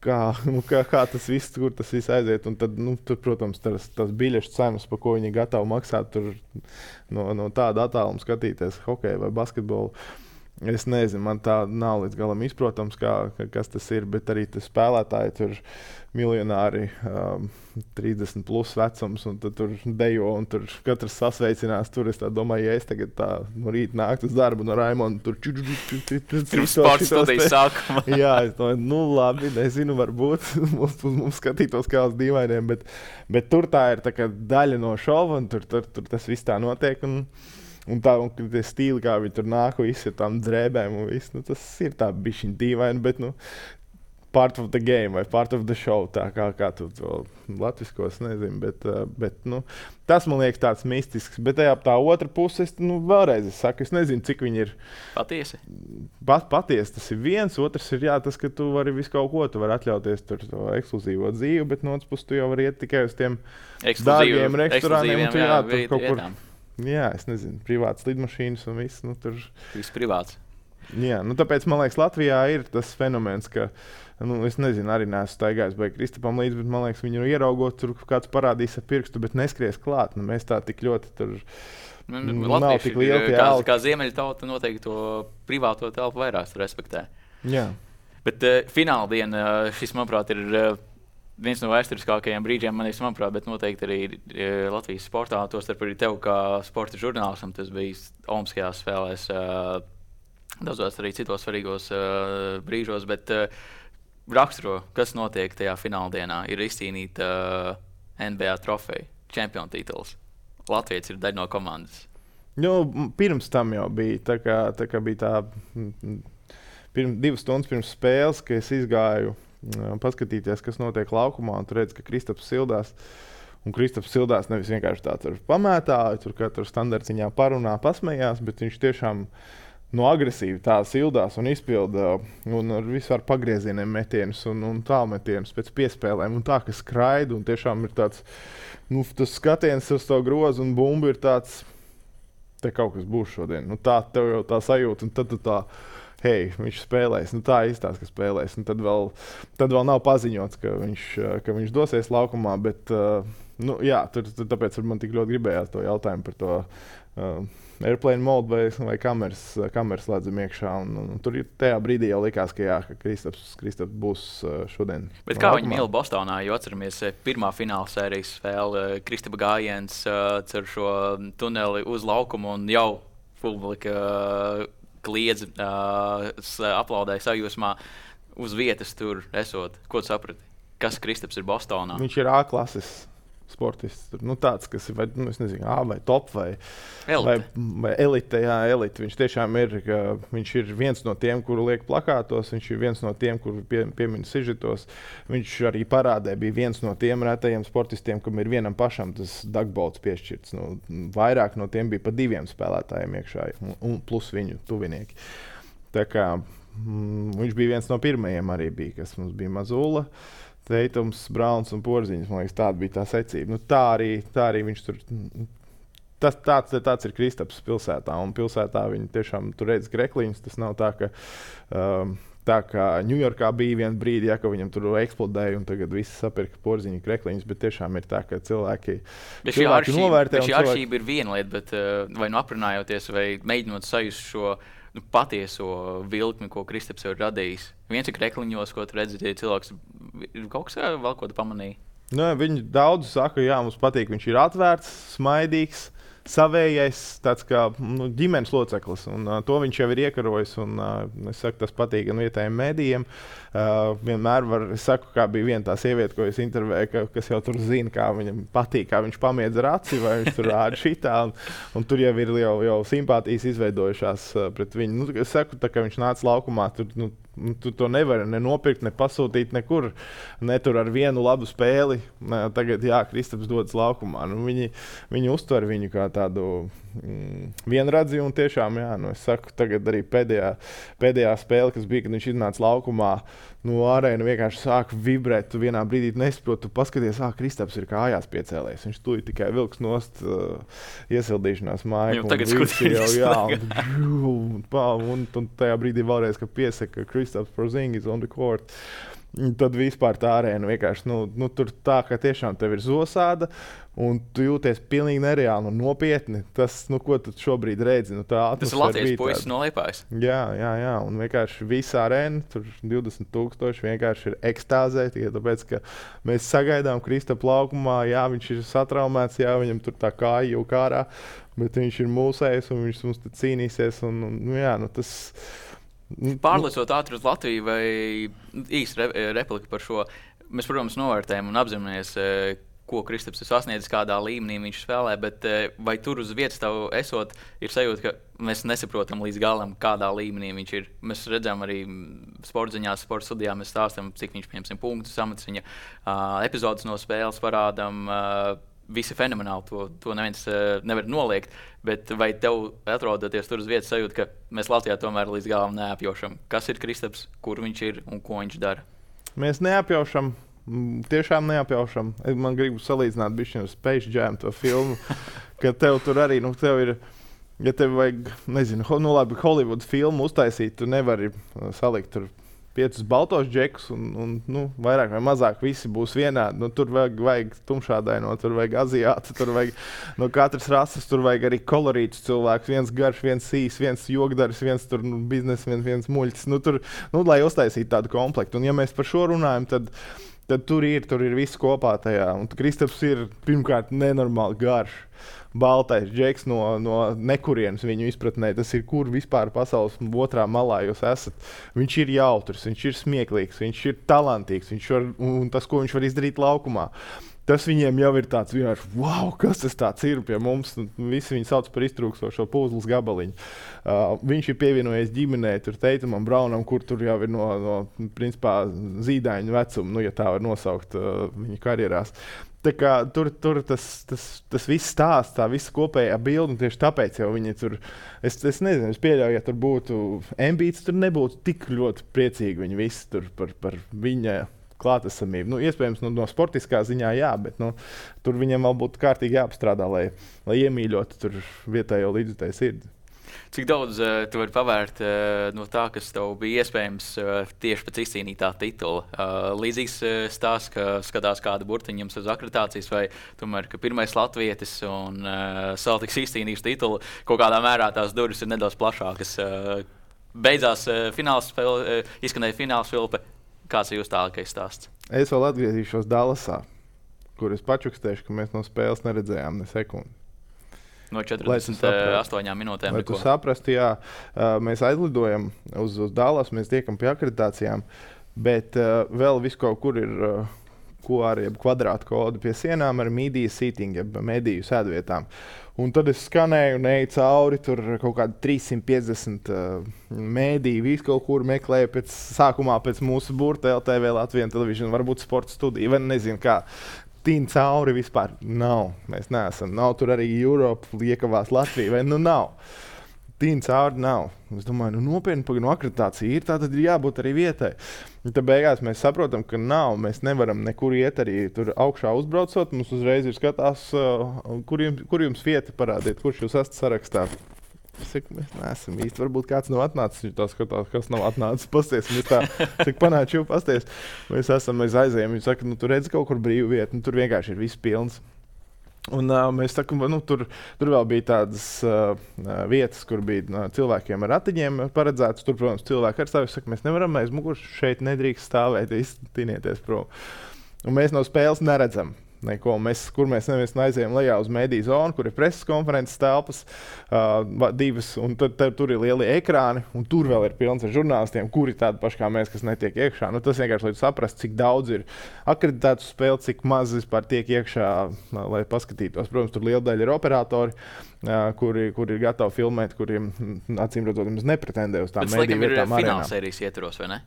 kā, nu, kā, kā tas viss, kur tas viss aiziet. Un tad, nu, tur, protams, tas, tas biļešu cenas, pa ko viņi gatavi maksāt, tur no, no tāda attāluma skatīties hokeju vai basketbolu. Es nezinu, man tā nav līdz galam izprotams, kā, kas tas ir, bet arī tas spēlētāji tur miljonāri, um, trīsdesmit plus vecums, un tad tur dejo, un tur katrs sasveicinās. Tur es tā domāju, ja es tagad tā no rīta nāktu uz darbu no Raimonda, tur ču, ču, ču, ču, ču, tur sports studijas sākumā. Jā, es domāju, nu labi, nezinu, varbūt mums, mums skatītos kā uz dīvainiem, bet, bet tur tā ir tā kā daļa no šova, un tur, tur, tur tas viss tā notiek, un Un tā, un tie stīli, kā viņi tur nāk, visi ar tām drēbēm un viss, nu, tas ir tā bišķiņ dīvaini, bet, nu, part of the game vai part of the show, tā kā, kā tu to latviskos, nezinu, bet, bet, nu, tas man liekas tāds mistisks, bet tajā tā otra puse, es, nu, vēlreiz es saku, es nezinu, cik viņi ir patiesi. Pat, patiesi, tas ir viens, otrs ir, jā, tas, ka tu vari visu kaut ko, tu vari atļauties tur to ekskluzīvo dzīvi, bet no otras puses tu jau vari iet tikai uz tiem dārgiem restorāniem, un tu jā, jā tur kaut kur. Jā, es nezinu, privātas lidmašīnas un viss, nu, tur. Viss privāts. Jā, nu, tāpēc, man liekas, Latvijā ir tas fenomens, ka, nu, es nezinu, arī neesmu staigājis vai Kristapam līdz, bet, man liekas, viņu ieraugot, tur kāds parādīs ar pirkstu, bet neskries klāt. Nu, mēs tā tik ļoti tur, nu, nav tik liela tie kā, alti. kā ziemeļu tauta noteikti to privāto telpu vairāk respektē. Jā. Bet uh, fināla diena, šis, manuprāt, ir uh, viens no vēsturiskākajiem brīžiem, manis, manuprāt, bet noteikti arī e, Latvijas sportā, tostarp arī tev kā sporta žurnālistam, tas bija Olimpiskajās spēlēs, e, daudzos arī citos svarīgos e, brīžos, bet e, raksturo, kas notiek tajā fināla dienā, ir izcīnīta e, N B A trofeja, čempionu tituls. Latvijas ir daļa no komandas. Nu, pirms tam jau bija, tā kā, tā kā bija tā, pirms, divas stundas pirms spēles, ka es izgāju paskatīties, kas notiek laukumā, un tu redz, ka Kristaps sildās. Un Kristaps sildās nevis vienkārši tā tur pamētāja, tur katru standartiņā parunā, pasmējās, bet viņš tiešām no agresīvi tā sildās un izpilda un ar vispār pagriezieniem metienus un, un tālmetienus pēc piespēlēm. Un tā, ka skraida un tiešām ir tāds, nu, tas skatiens uz to grozu un bumbu ir tāds, te kaut kas būs šodien. Nu, tā tev jau tā sajūta, un tad tu tā, hei, viņš spēlēs, nu tā izstās, ka spēlēs. Un tad vēl, tad vēl nav paziņots, ka viņš, ka viņš dosies laukumā, bet, uh, nu jā, tur, tur, tāpēc man tik ļoti gribējās to jautājumu par to uh, airplane mode vai, vai kameras, kameras slēdzam iekšā. Un, un, un tur tajā brīdī jau likās, ka jā, ka Kristaps, Kristaps būs uh, šodien. Bet kā viņi mīl Bostonā, jo atceramies pirmā fināla sērijas spēle, Kristapa gājiens uh, cer šo tuneli uz laukumu un jau publika uh, kliedz, uh, aplaudēja sajūsmā uz vietas tur esot. Ko tu saprati? Kas Kristaps ir Bostonā? Viņš ir A-klases sportists. Nu, tāds, kas ir vai, nu, es nezinu, A vai top vai elite. Vai, vai elite, jā, elite. Viņš tiešām ir, ka viņš ir viens no tiem, kuru liek plakātos, viņš ir viens no tiem, kuru pie, piemin sižetos. Viņš arī parādē bija viens no tiem retajiem sportistiem, kam ir vienam pašam tas dagbolts piešķirts. Nu, vairāk no tiem bija pa diviem spēlētājiem iekšā, un, un plus viņu tuvinieki. Tā kā mm, viņš bija viens no pirmajiem arī bija, kas mums bija Mazula, Teitums, Brauns un Porziņš. Man liekas, tāda bija tā secība. Nu, tā, arī, tā arī viņš tur. Tas, tāds, tāds ir Kristaps pilsētā. Un pilsētā viņi tiešām tur redz krekliņus. Tas nav tā, ka um, tā kā Ņujorkā bija viena brīdi, ja, ka viņam tur eksplodēja un tagad visi sapirka Porziņu krekliņus. Bet tiešām ir tā, ka cilvēki, cilvēki novērtē. Šī atšķirība ir viena lieta, bet vai nu aprunājoties vai mēģinot sajust šo nu, patieso vilkmi, ko Kristaps ir radījis. Viens ir krekliņos, ko tu redzi, ja cilvēks ir kaut kas vēl, ko tu pamanīji. Nu, viņi daudz saka, jā, mums patīk, viņš ir atvērts, smaidīgs. Savējais, tāds kā nu, ģimenes loceklis, un uh, to viņš jau ir iekarojis. Un, uh, es saku, tas patīk gan vietējiem mēdījiem. Uh, vienmēr var, es saku, kā bija viena tā sieviete, ko es intervēju, ka, kas jau tur zina, kā viņam patīk, kā viņš pamiedz ar aci, vai viņš tur rāda šitā. Un, un tur jau ir jau, jau simpātijas izveidojušās uh, pret viņu. Nu, es saku, tā, ka viņš nāca laukumā, tur, nu, tu to nevari ne nopirkt, ne pasūtīt nekur. Ne tur ar vienu labu spēli. Ne, tagad, jā, Kristaps dodas laukumā. Nu, viņi, viņi uztver viņu kā tādu mm, vienradzi, un tiešām, jā, nu, es saku, tagad arī pēdējā, pēdējā spēle, kas bija, kad viņš iznāca laukumā, nu, arēna vienkārši sāk vibrēt, tu vienā brīdī nesaproti, tu paskaties, ah, Kristaps ir kājās piecēlējis, viņš tuj tikai vilks nost uh, iesildīšanās māju. Jau tagad skutīs. Jā, un, un, un, un tajā brīdī vēlreiz, ka piesaka Kristaps Porzingis on the court. Tad vispār tā arēna vienkārši, nu, nu tur tā, ka tiešām tev ir zosāda, un tu jūties pilnīgi nereāli un nopietni. Tas, nu, ko tu šobrīd redzi, nu, tā atmosfēra. Tas ir Latvijas puisis no Liepājas. Jā, jā, jā, un vienkārši visa arēna, tur divdesmit tūkstoši vienkārši ir ekstāzē, tikai tāpēc, ka mēs sagaidām Kristapu laukumā, jā, viņš ir satraumēts, jā, viņam tur tā kāja jau kārā, bet viņš ir mūsējis un viņš mums te cīnīsies, un, un nu, jā, nu, tas... Pārlecot ātri uz Latviju, vai īsti re, replika par šo, mēs, protams, novērtējam un apzināmies, ko Kristaps ir sasniedzis, kādā līmenī viņš spēlē, bet vai tur uz vietas tev esot, ir sajūta, ka mēs nesaprotam līdz galam, kādā līmenī viņš ir. Mēs redzam arī sportziņās, sporta studijā, mēs stāstam, cik viņš pieņemsim punktus, samats viņa uh, epizodes no spēles parādam. Uh, Visi fenomenāli, to, to neviens uh, nevar noliegt, bet vai tev atrodoties tur uz vietas sajūta, ka mēs Latvijā tomēr līdz galam neapjaušam, kas ir Kristaps, kur viņš ir un ko viņš dara? Mēs neapjaušam, tiešām neapjaušam. Man gribu salīdzināt bišķiņu ar Space Jam to filmu, ka tev tur arī, nu, tev ir, ja tev vajag, nezinu, nu labi, Hollywood filmu uztaisīt, tu nevari salikt tur piecus baltos džekus, un, un nu, vairāk vai mazāk visi būs vienādi. Nu, tur vajag, vajag tumšādaino, tur vajag aziātu, tur vajag no katras rases, tur vajag arī kolorītus cilvēkus. Viens garš, viens sīs, viens jogdaris, viens tur nu, biznes, viens, viens muļķis. Nu, tur, nu, lai uztaisītu tādu komplektu. Un ja mēs par šo runājam, tad, tad tur ir, tur ir viss kopā tajā. Un Kristaps ir pirmkārt nenormāli garš. Baltais džeks no, no nekurienes viņu izpratnē. Tas ir, kur vispār pasaules otrā malā jūs esat. Viņš ir jautrs, viņš ir smieklīgs, viņš ir talantīgs, viņš var, un tas, ko viņš var izdarīt laukumā. Tas viņiem jau ir tāds vienkārši, wow, kas tas tāds ir pie mums. Visi viņu sauc par iztrūkstošo puzles gabaliņu. Uh, viņš ir pievienojies ģimenei, tur Teitumam, Braunam, kur tur jau ir no, no principā, zīdaiņu vecuma, nu, ja tā var nosaukt uh, viņa karjerās. Tā kā, tur tur tas, tas, tas viss stāsts, tā visa kopējā bilde, un tieši tāpēc jau viņi tur, es, es nezinu, es pieļauju, ja tur būtu Embiids, tur nebūtu tik ļoti priecīgi viņi visi tur par, par viņa klātesamību. Nu, iespējams, nu, no sportiskā ziņā jā, bet nu, tur viņam vēl būtu kārtīgi jāapstrādā, lai, lai iemīļotu tur vietējo līdzjutēju sirdi. Cik daudz uh, tu vari pavērt uh, no tā, kas tev bija iespējams uh, tieši pēc izcīnītā titula? Uh, līdzīgs uh, stāsts, ka skatās kādu burtiņu jums uz akreditācijas, vai tomēr, ka pirmais latvietis un uh, Celtics izcīnījis titulu, kaut kādā mērā tās durvis ir nedaudz plašākas. Uh, beidzās uh, fināls spēle, uh, izskanēja fināls filpe. Kāds ir jūs tālākais stāsts? Es vēl atgriezīšos Dallasā, kur es pačukstēšu, ka mēs no spēles neredzējām ne sekundi. No četrdesmit astoņām minūtēm. Lai tu saprastu, jā, mēs aizlidojam uz, uz Dallas, mēs tiekam pie akreditācijām, bet uh, vēl viss kaut kur ir uh, Q R, jeb kvadrāta kodu pie sienām ar media seating, jeb mediju sēdvietām. Un tad es skanēju un eju cauri, tur kaut kādi trīssimt piecdesmit uh, mēdīji, visu kaut kur meklēju pēc, sākumā pēc mūsu burta L T V Latvijas Television, varbūt sporta studija, vai nezinu kā. Tīn cauri vispār nav. Mēs neesam. Nav tur arī Europa, liekavās Latvija, vai nu nav. Tīn cauri nav. Es domāju, nu nopietni, pagaidām, no akreditācija ir, tā tad ir jābūt arī vietai. Un tad beigās mēs saprotam, ka nav. Mēs nevaram nekur iet arī tur augšā uzbraucot. Mums uzreiz ir skatās, kur jums, kur jums vieta parādiet, kurš jūs esat sarakstā. Es saku, mēs neesam īsti. Varbūt kāds nav atnācis, viņš tā skatās, kas nav atnācis. Pasties, mēs tā, cik panāči jau pasties. Mēs esam, mēs aizējam, viņš saka, nu, tu redzi kaut kur brīvu vietu, nu, tur vienkārši ir viss pilns. Un, uh, mēs sakām, nu, tur, tur vēl bija tādas uh, vietas, kur bija uh, cilvēkiem ar ratiņiem paredzētas. Tur, protams, cilvēki ar stāvu saka, mēs nevaram aiz muguras šeit nedrīkst stāvēt, iztinieties prom. Un mēs no spēles neredzam neko. Mēs, kur mēs neviens aizējām lejā uz mediju zonu, kur ir preses konferences telpas, uh, divas, un tad, tad tur ir lieli ekrāni, un tur vēl ir pilns ar žurnālistiem, kuri tādi paši kā mēs, kas netiek iekšā. Nu, tas vienkārši, lai saprast, cik daudz ir akreditētu spēli, cik maz vispār tiek iekšā, lai paskatītos. Protams, tur liela daļa ir operatori, uh, kuri, kuri ir gatavi filmēt, kuriem, acīm redzot, mums nepretendē uz tām mediju vietām arēnām. Bet, fināla sērijas ietvaros, vai ne?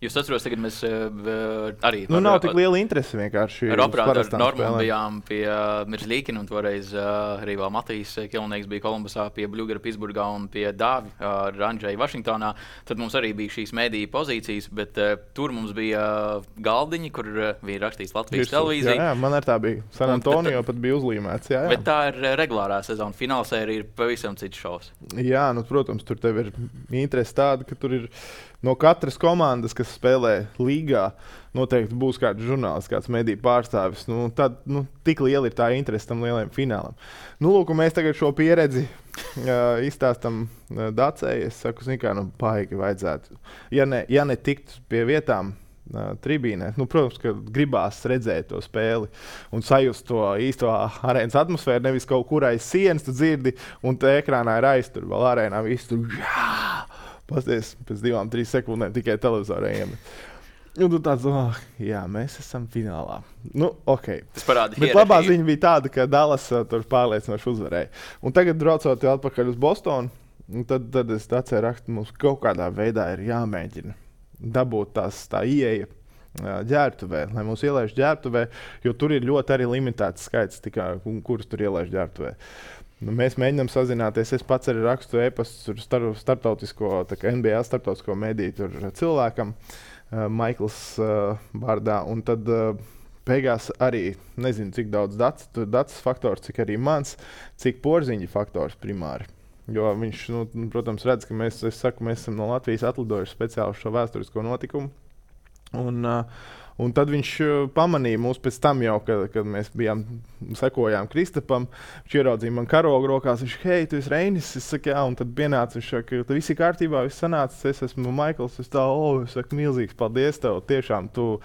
Jūs atceros, tagad mēs uh, arī... Nu, nav tik liela interese vienkārši. Ar operātoru Normu bijām pie uh, Mirzlīkina, un toreiz uh, arī vēl Matīs Kilnieks bija Kolumbusā pie Bļugara Pitsburgā un pie Dāvi ar uh, Andžeju Vašingtonā. Tad mums arī bija šīs mediju pozīcijas, bet uh, tur mums bija uh, galdiņi, kur uh, bija rakstīts Latvijas Virsū, televīzija. Jā, jā, man ar tā bija. San Antonio pat bija uzlīmēts. Jā, jā. Bet tā ir regulārā sezona. Finālsērija ir pavisam cits šovs. Jā, nu, protams, tur tev ir interese tāda, ka tur ir no katras komandas, kas spēlē līgā, noteikti būs kāds žurnālists, kāds mediju pārstāvis. Nu, tad, nu, tik liela ir tā interese tam lielajam finālam. Nu, lūk, mēs tagad šo pieredzi uh, izstāstam uh, Dacei. Es saku, kā, nu, paigi vajadzētu. Ja ne, ja ne tikt pie vietām uh, tribīnē, nu, protams, ka gribās redzēt to spēli un sajust to īsto arēnas atmosfēru, nevis kaut kur aiz sienas tu dzirdi, un te ekrānā ir aiztur, vēl arēnā viss tur, jā! Pasties, pēc divām, trīs sekundēm tikai televizorā iemet. Un tu tāds, oh, jā, mēs esam finālā. Nu, ok. Tas parāda Bet labā ziņa bija tāda, ka Dallas uh, tur pārliecinoši uzvarēja. Un tagad, braucot atpakaļ uz Bostonu, tad, tad es atceru rakstu, mums kaut kādā veidā ir jāmēģina dabūt tās, tā ieeja uh, ģērbtuvē, lai mūs ielaiž ģērbtuvē, jo tur ir ļoti arī limitēts skaits, tikai, kurus tur ielaiž ģērbtuvē. Nu, mēs mēģinām sazināties. Es pats arī rakstu e-pastu star, starptautisko, tā kā N B A starptautisko mediju tur cilvēkam, uh, Maikls uh, vārdā. Un tad uh, beigās arī nezinu, cik daudz datus, datus faktors, cik arī mans, cik Porziņa faktors primāri. Jo viņš, nu, protams, redz, ka mēs, es saku, mēs esam no Latvijas atlidojuši speciāli šo vēsturisko notikumu. Un, uh, Un tad viņš pamanīja mūs pēc tam jau, kad, kad mēs bijām, sekojām Kristapam. Viņš ieraudzīja man karogu rokās, viņš, hei, tu esi Reinis? Es saku, jā, un tad pienāca, viņš saka, tad viss ir kārtībā, viss sanācis, es esmu Maikls, es tā, o, es saku, milzīgs paldies tev, tiešām tu uh,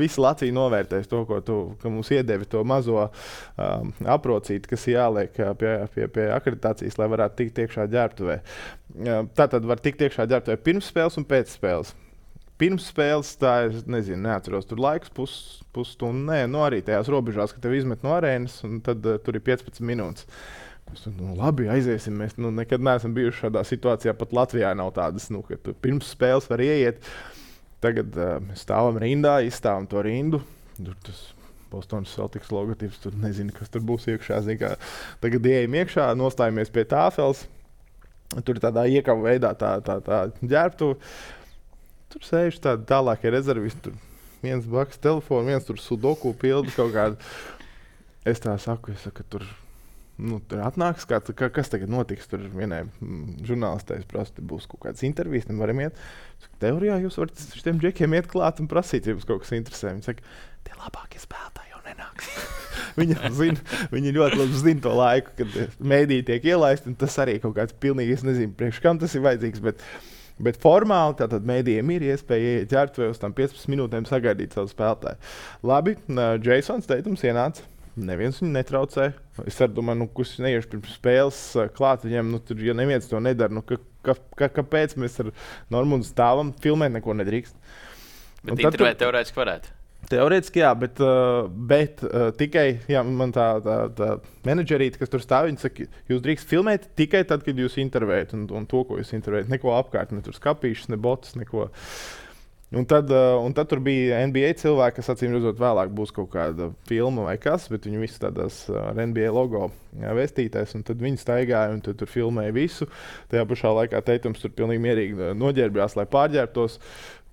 visu Latviju novērtēsi to, ko tu, ka mums iedevi to mazo um, aprocīti, kas jāliek pie, pie, pie akreditācijas, lai varētu tikt iekšā ģērbtuvē. Uh, tātad var tikt iekšā ģērbtuvē pirms spēles un pēc spēles. Pirms spēles, tā es nezinu, neatceros, tur laiks pus, pusstundu, nē, nu arī tajās robežās, ka tev izmet no arēnas, un tad uh, tur ir piecpadsmit minūtes. Mēs, nu, labi, aiziesim, mēs nu, nekad neesam bijuši šādā situācijā, pat Latvijā nav tādas, nu, ka tu pirms spēles var ieiet. Tagad uh, mēs stāvam rindā, izstāvam to rindu, tur tas Bostonas Celtics logotips, tur nezinu, kas tur būs iekšā, zin, kā. Tagad ieejam iekšā, nostājamies pie tāfeles, tur tādā iekava veidā tā, tā, tā ģērbtu. Tur sēž tādi tālākie rezervisti, tur viens blakus telefonu, viens tur sudoku pildu kaut kādu. Es tā saku, es saku, tur, nu, tur atnāks kāds, ka, kas tagad notiks, tur vienai mm, žurnālistēs prasa, būs kaut kāds intervijas, nevaram iet. Saku, teorijā jūs varat šitiem džekiem iet klāt un prasīt, ja jums kaut kas interesē. Viņi saka, tie labākie spēlētāji jau nenāks. Viņi, zina, viņi ļoti labi zina to laiku, kad mēdīji tiek ielaisti, un tas arī kaut kāds pilnīgi, es nezinu, priekš kam tas ir vajadzīgs, bet Bet formāli tātad mēdījiem ir iespēja ieiet ģērbtuvē uz tām piecpadsmit minūtēm sagaidīt savu spēlētāju. Labi, Jasons Teitums ienāca, neviens viņu netraucē. Es arī domāju, nu, kurš neiešu pirms spēles klāt viņiem, nu, tur, ja neviens to nedara, nu, ka, ka, ka, kāpēc mēs ar Normundu stāvam, filmēt neko nedrīkst. Bet intervēt teorētiski varētu. Teorētiski jā, bet, uh, bet uh, tikai jā, man tā, tā, tā menedžerīte, kas tur stāv, viņa saka, jūs drīkst filmēt tikai tad, kad jūs intervējat un, un to, ko jūs intervējat. Neko apkārt, ne tur skapīšas, ne botas, neko. Un tad, uh, un tad tur bija N B A cilvēki, kas acīm redzot vēlāk būs kaut kāda filma vai kas, bet viņi visi tādās ar uh, N B A logo jā, vestītais, un tad viņi staigāja un tur filmēja visu. Tajā pašā laikā Teitums tur pilnīgi mierīgi noģērbjās, lai pārģērbtos.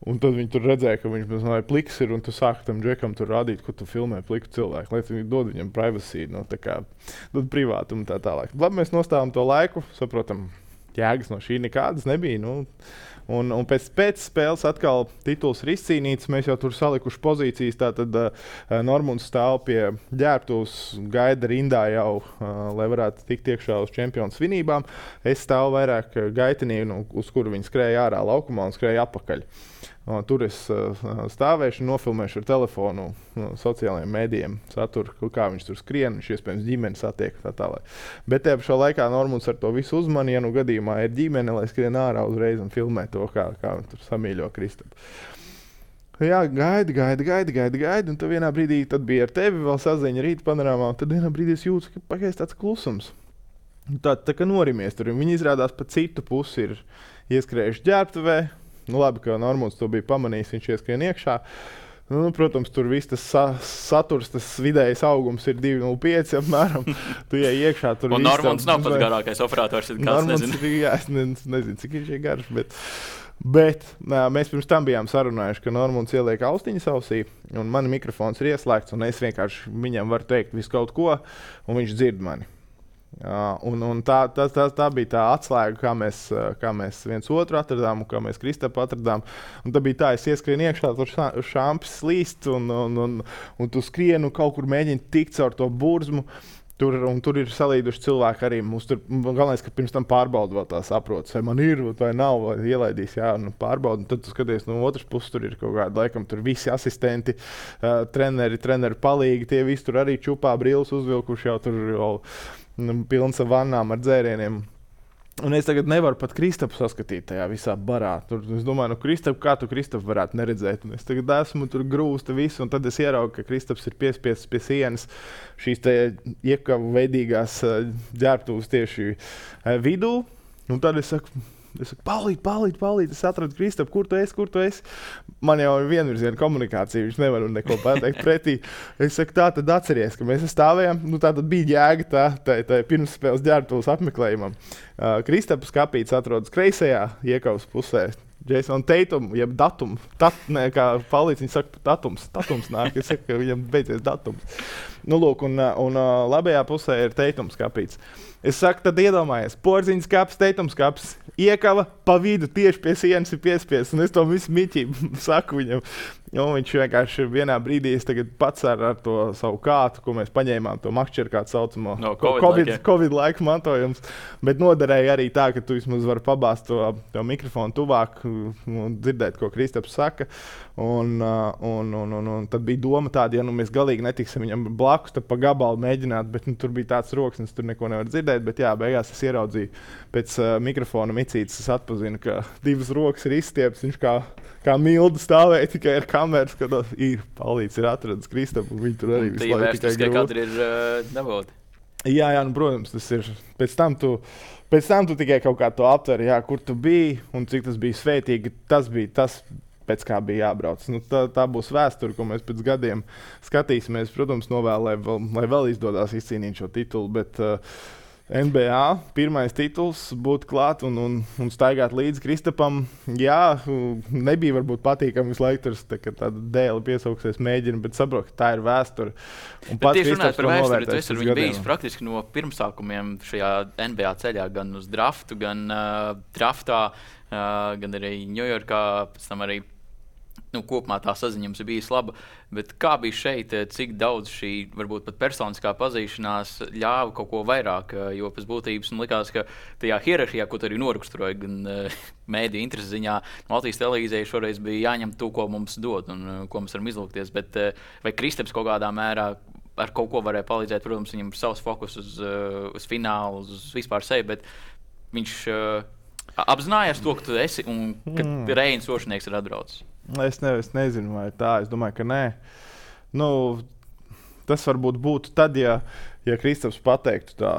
Un tad viņi tur redzēja, ka viņš mazliet pliks ir, un tu sāki tam džekam tur rādīt, ko tu filmē pliku cilvēku, lai viņi dod viņam privacy, no tā kā, dod privātumu tā tālāk. Labi, mēs nostājām to laiku, saprotam, jēgas no šī nekādas nebija, nu, Un, un pēc, pēc spēles atkal tituls ir izcīnīts. Mēs jau tur salikuši pozīcijas. Tātad uh, Normunds stāv pie ģērbtuves, gaida rindā jau, uh, lai varētu tikt iekšā uz čempionu svinībām. Es stāvu vairāk gaitenī, nu, uz kuru viņi skrēja ārā laukumā un skrēja apakaļ. Uh, tur es uh, stāvēšu un nofilmēšu ar telefonu uh, sociālajiem mēdījiem saturu, kā viņš tur skrien, viņš iespējams ģimeni satiek tā tālāk. Bet tajā pašā laikā Normunds ar to visu uzmani, ja nu gadījumā ir ģimene, lai skrien ārā uzreiz un filmē to, kā, kā viņš tur samīļo Kristapu. Jā, gaidi, gaidi, gaidi, gaidi, gaidi, un tad vienā brīdī tad bija ar tevi vēl saziņa rīta panorāmā, un tad vienā brīdī es jūtu, ka pagaidz tāds klusums. Tā, tā kā norimies tur, viņi izrādās pa citu pusi ir ieskrējuši ģērbtuvē. Nu, labi, ka Normunds to bija pamanījis, viņš ieskrien iekšā. Nu, protams, tur viss tas sa saturs, tas vidējais augums ir divi nulle pieci apmēram. Tu ej iekšā, tur un Normunds nav pats garākais operators, kāds nezinu. Jā, es ne, nezinu, cik viņš ir garš, bet, bet nā, mēs pirms tam bijām sarunājuši, ka Normunds ieliek austiņas ausī, un man mikrofons ir ieslēgts, un es vienkārši viņam varu teikt visu kaut ko, un viņš dzird mani. Uh, un, un tā, tā, tā, tā bija tā atslēga, kā mēs, kā mēs viens otru atradām un kā mēs Kristapu atradām. Un tā bija tā, es ieskrienu iekšā, tur šampis slīst un, un, un, un tu skrienu kaut kur mēģini tikt caur to burzmu. Tur, un tur ir salīduši cilvēki arī. Mums tur galvenais, ka pirms tam pārbauda vēl tā saprotas, vai man ir, vai nav, vai ielaidīs, jā, nu pārbauda. Un tad tu skaties, no otras puses tur ir kaut kādi, laikam, tur visi asistenti, uh, treneri, treneri palīgi, tie visi tur arī čupā brilles uzvilkuši jau tur jau pilns ar vannām ar dzērieniem. Un es tagad nevaru pat Kristapu saskatīt tajā visā barā. Tur, es domāju, nu Kristapu, kā tu Kristapu varētu neredzēt? Un es tagad esmu tur grūsta visu, un tad es ieraugu, ka Kristaps ir piespiests pie sienas šīs te iekavu veidīgās ģērbtuves tieši vidū. Un tad es saku, es saku, palīt, palīt, palīt, es atradu Kristapu, kur tu esi, kur tu esi? Man jau ir vienvirziena komunikācija, viņš nevar neko pateikt pretī. Es saku, tā tad atceries, ka mēs stāvējām, nu tā tad bija jēga tā, tā, tā pirms spēles ģērbtuves apmeklējumam. Uh, Kristapu skapīts atrodas kreisajā iekavas pusē. Jason Tatum, jeb datum, tat, ne, kā palīdz, viņi saka, datums, datums nāk, es saku, ka viņam beidzies datums. Nu, lūk, un, un labajā pusē ir Tatum skapīts. Es saku, tad iedomājies, porziņas kaps, Tatum skaps, iekava pa vidu tieši pie sienas ir piespies, un es to visu miķību saku viņam. Un viņš vienkārši vienā brīdī es tagad pats ar, ar to savu kātu, ko mēs paņēmām, to makšķeru kādu saucamo no, COVID, COVID, laika. COVID laika mantojums, bet noderēja arī tā, ka tu vismaz vari pabāzt to, to mikrofonu tuvāk un dzirdēt, ko Kristaps saka. Un, un, un, un, un tad bija doma tāda, ja nu mēs galīgi netiksim viņam blakus, tad pa gabalu mēģināt, bet nu, tur bija tāds roksnis, tur neko nevar dzirdēt, bet jā, beigās es ieraudzīju pēc uh, mikrofona micītes, es atpazinu, ka divas rokas ir izstiepts, viņš kā, kā mildu stāvēja tikai ar kameras, kad ir palīdz, ir atradis Kristapu, un viņi tur arī visu laiku tikai grūti. Katri ir uh, dabūti. Jā, jā, nu, protams, tas ir. Pēc tam tu, pēc tam tu tikai kaut kā to aptveri, jā, kur tu biji un cik tas bija svētīgi, tas bija tas, pēc kā bija jābrauc. Nu, tā, tā būs vēsture, ko mēs pēc gadiem skatīsimies. Protams, novēl, lai vēl, lai vēl izdodās izcīnīt šo titulu, bet uh, N B A pirmais tituls būt klāt un, un, un staigāt līdz Kristapam. Jā, nebija varbūt patīkami visu laiku tur tā, tāda dēle piesauksies mēģina, bet saprot, ka tā ir vēsture. Un pats Kristaps to novērtēs. Tu esi ar viņu bijis praktiski no pirmsākumiem šajā N B A ceļā, gan uz draftu, gan uh, draftā, uh, gan arī Ņujorkā, pēc tam arī nu, kopumā tā saziņa jums ir bijusi laba, bet kā bija šeit, cik daudz šī, varbūt pat personiskā pazīšanās ļāva kaut ko vairāk, jo pēc būtības man likās, ka tajā hierarhijā, ko tu arī noraksturoji, gan uh, mēdī interesi ziņā, Latvijas televīzijai šoreiz bija jāņem to, ko mums dod un uh, ko mēs varam izlūkties, bet uh, vai Kristaps kaut kādā mērā ar kaut ko varēja palīdzēt, protams, viņam ir savs fokus uz, uh, uz finālu, uz vispār sevi, bet viņš uh, apzinājās to, ka tu esi un ka mm. Reinis Ošanieks ir atbraucis. Es, ne, es nezinu, vai tā. Es domāju, ka nē. Nu, tas varbūt būtu tad, ja, ja Kristaps pateiktu tā,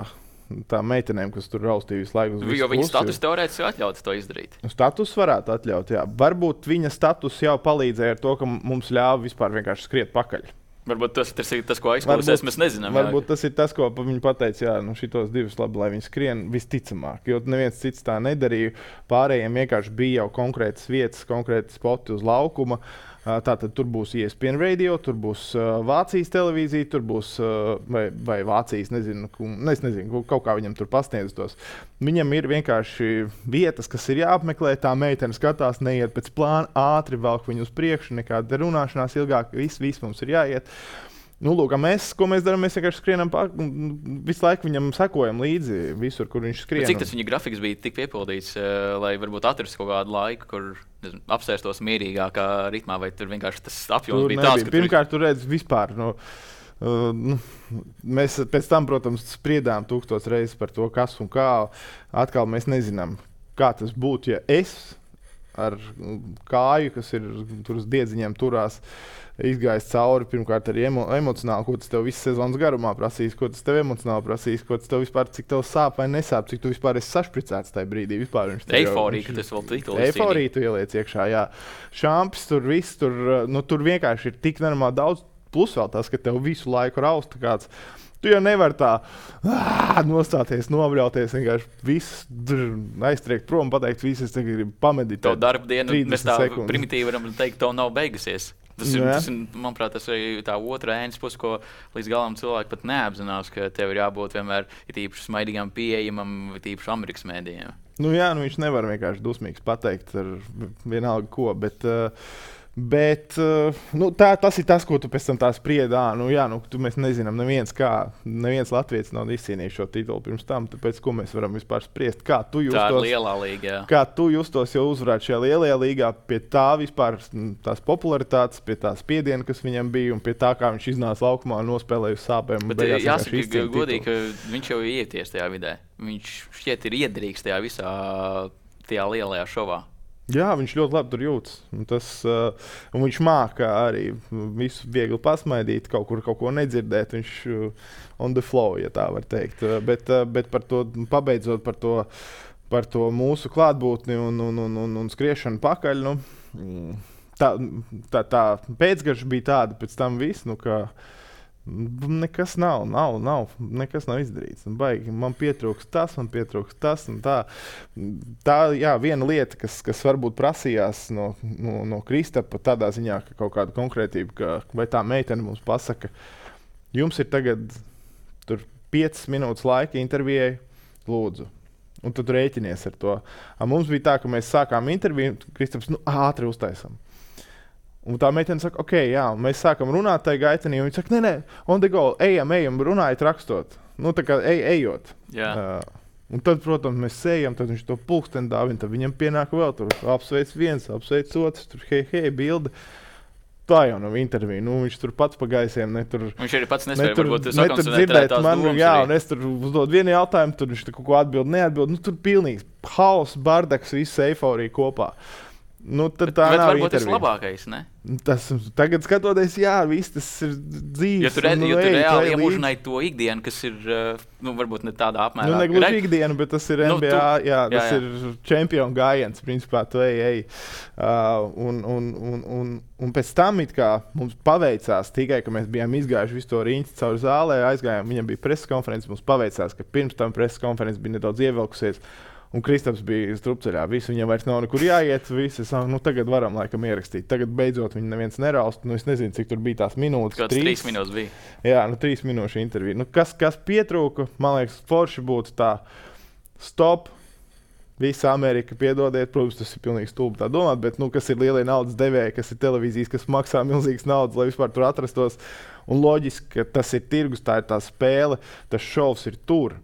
tā meitenēm, kas tur raustīja visu laiku. Jo viņa status teorētiski atļautu to izdarīt. Status varētu atļaut, jā. Varbūt viņa status jau palīdzēja ar to, ka mums ļāva vispār vienkārši skriet pakaļ. Varbūt tas, tas ir tas, ko aizklausās, mēs nezinām. Varbūt jā. Tas ir tas, ko viņi pateica, jā, nu šitos divus labi, lai viņi skrien visticamāk, jo neviens cits tā nedarīja. Pārējiem vienkārši bija jau konkrētas vietas, konkrēti spoti uz laukuma. Tātad tur būs E S P N radio, tur būs uh, Vācijas televīzija, tur būs uh, vai, vai Vācijas, nezinu, ne, es nezinu, kaut kā viņam tur pasniedz tos. Viņam ir vienkārši vietas, kas ir jāapmeklē, tā meitene skatās, neiet pēc plāna, ātri velk viņu uz priekšu, nekāda runāšanās ilgāk, viss, viss mums ir jāiet. Nu, lūk, mēs, ko mēs darām, mēs vienkārši skrienam pār, visu laiku viņam sekojam līdzi visur, kur viņš skrien. Bet cik tas viņa grafiks bija tik piepildīts, uh, lai varbūt atrastu kaut kādu laiku, kur nezinu, apsēstos mierīgākā ritmā, vai tur vienkārši tas apjoms tur bija tāds, ka pirmkārt, tur redz vispār, nu, uh, nu, mēs pēc tam, protams, spriedām tūkstots reizes par to, kas un kā. Atkal mēs nezinām, kā tas būtu, ja es ar kāju, kas ir tur uz diedziņiem turās, izgājis cauri, pirmkārt, arī emo, emocionāli, ko tas tev visas sezonas garumā prasīs, ko tas tev emocionāli prasīs, ko tas tev vispār, cik tev sāp vai nesāp, cik tu vispār esi sašpricēts tajā brīdī. Eiforija, ka tas vēl titulis. Eiforija tu ieliec iekšā, jā. Šampis tur viss, tur, nu, tur vienkārši ir tik normāli daudz, plus vēl tas, ka tev visu laiku rausta kāds. Tu jau nevari tā ā, nostāties, nobļauties, vienkārši viss aiztriekt prom, pateikt, viss, es tagad gribu pameditēt. Tev darba diena, mēs tā sekundes. Primitīvi varam teikt, tev nav beigusies. Tas ir, tas ir, manuprāt, tas ir tā otra ēnas puse, ko līdz galam cilvēki pat neapzinās, ka tev ir jābūt vienmēr īpaši smaidīgam, pieejamam, īpaši Amerikas mēdījiem. Nu jā, nu viņš nevar vienkārši dusmīgs pateikt ar vienalga ko, bet... Uh, Bet nu, tā, tas ir tas, ko tu pēc tam tā spriedi. Nu, jā, nu, tu, mēs nezinām, neviens, kā, neviens Latvijas nav izcīnījis šo titulu pirms tam. Tāpēc, ko mēs varam vispār spriest? Kā tu justos, tā ir lielā līga, jā. Kā tu justos, jau uzvarēt šajā lielajā līgā pie tā vispār tās popularitātes, pie tā spiediena, kas viņam bija, un pie tā, kā viņš iznāca laukumā un nospēlēja uz sāpēm. Bet jāsaka, godīgi, ka viņš jau ir ieties tajā vidē. Viņš šķiet ir iedrīgs tajā visā tajā lielajā šovā. Jā, viņš ļoti labi tur jūtas. Tas, uh, un viņš māca arī visu viegli pasmaidīt, kaut kur kaut ko nedzirdēt. Viņš uh, on the flow, ja tā var teikt. Uh, bet, uh, bet par to, pabeidzot par to, par to mūsu klātbūtni un, un, un, un, un skriešanu pakaļ, nu, tā, tā, tā pēcgarša bija tāda pēc tam viss, nu, ka nekas nav, nav, nav, nekas nav izdarīts. Baigi, man pietrūkst tas, man pietrūkst tas un tā. Tā, jā, viena lieta, kas, kas varbūt prasījās no, no, no Kristapa tādā ziņā, ka kaut kāda konkrētība, ka, vai tā meitene mums pasaka, jums ir tagad tur piecas minūtes laika intervijai, lūdzu. Un tu rēķinies ar to. A, mums bija tā, ka mēs sākām interviju, Kristaps, nu, ātri uztaisam. Un tā meitene saka, ok, jā, mēs sākam runāt tajā gaitenī, un viņi saka, nē, nē, on the go, ejam, ejam, runājiet, rakstot. Nu, tā kā ej, ejot. Yeah. Uh, un tad, protams, mēs sējam, tad viņš to pulksteni dāvina, tad viņam pienāk vēl tur, apsveic viens, apsveic otrs, tur hei, hei, bilde. Tā jau nav intervija, nu, viņš tur pats pa gaisiem, ne tur... Viņš arī pats nespēja, tur, varbūt, ne tur dzirdēt manu, jā, un es tur uzdod vienu jautājumu, tur viņš tur kaut ko atbild, neatbild, nu, tur pilnīgs haus, bardaks, viss eiforija kopā. Nu, tad bet, tā bet nav varbūt intervija. Tas labākais, ne? Tas, tagad skatoties, jā, viss tas ir dzīves. Ja tu, re, nu, ja tu ej, reāli iemūžināji to ikdienu, kas ir, nu, varbūt ne tādā apmērā. Nu, negluži re... ikdienu, bet tas ir N B A, nu, tu... jā, tas jā, jā. ir čempionu gājiens, principā, tu ej, ej. Uh, un, un, un, un, un pēc tam it kā mums paveicās tikai, ka mēs bijām izgājuši visu to riņķi caur zālē, aizgājām, viņam bija preses konferences, mums paveicās, ka pirms tam preses konferences bija nedaudz ievilkusies. Un Kristaps bija strupceļā, visu viņam vairs nav nekur jāiet, visi saka, nu tagad varam laikam ierakstīt. Tagad beidzot viņu neviens neraust, nu es nezinu, cik tur bija tās minūtes. Kāds trīs, trīs minūtes bija. Jā, nu trīs minūšu intervija. Nu kas, kas pietrūka, man liekas, forši būtu tā stop, visa Amerika piedodiet, protams, tas ir pilnīgi stulbi tā domāt, bet nu kas ir lielie naudas devēji, kas ir televīzijas, kas maksā milzīgas naudas, lai vispār tur atrastos. Un loģiski, ka tas ir tirgus, tā ir tā spēle, tas šovs ir tur.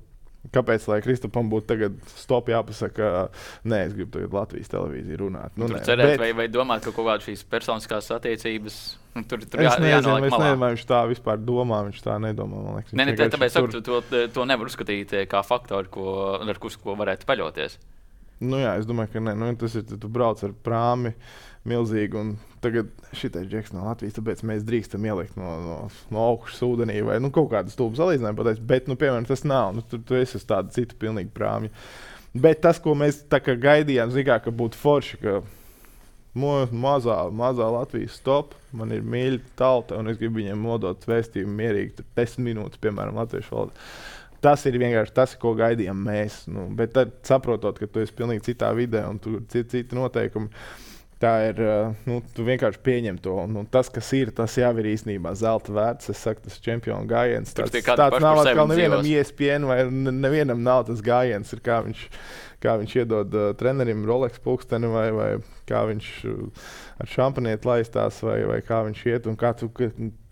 Kāpēc, lai Kristapam būtu tagad stop jāpasaka, nē, es gribu tagad Latvijas televīziju runāt. Nu, tur nē, cerēt, bet... vai, vai domāt, ka kaut kāda šīs personiskās attiecības, nu, tur, tur es jā, nezinu, jānoliek es malā. nezinu, vai viņš tā vispār domā, viņš tā nedomā, man liekas. Nē, ne, tāpēc tur... saku, to, to nevar uzskatīt kā faktoru, ko, ar kus, ko varētu paļauties. Nu jā, es domāju, ka nē, nu, tas ir, tu brauc ar prāmi milzīgi, un tagad šitais džeks no Latvijas, tāpēc mēs drīkstam ielikt no, no, no augšas ūdenī, vai nu kaut kādu stulbu salīdzinājumu pateikt, bet, nu, piemēram, tas nav, nu, tu, tu esi uz tādu citu pilnīgi prāmi. Bet tas, ko mēs tā kā gaidījām, zikā, ka būtu forši, ka mo, mazā, mazā Latvijas stop, man ir mīļa tauta, un es gribu viņiem nodot vēstījumu mierīgi, desmit minūtes, piemēram, latviešu valodā. Tas ir vienkārši tas, ko gaidījām mēs. Nu, bet tad, saprotot, ka tu esi pilnīgi citā vidē un tur ir citi, citi noteikumi, Tā ir, nu, tu vienkārši pieņem to. Nu, tas, kas ir, tas jau ir īstenībā zelta vērts. Es saku, tas čempionu gājiens. Tāds, tāds nav atkal nevienam E S P N vai nevienam nav tas gājiens. Ir kā viņš, kā viņš iedod uh, trenerim Rolex pulksteni vai, vai kā viņš uh, ar šampanieti laistās vai, vai kā viņš iet un kā tu,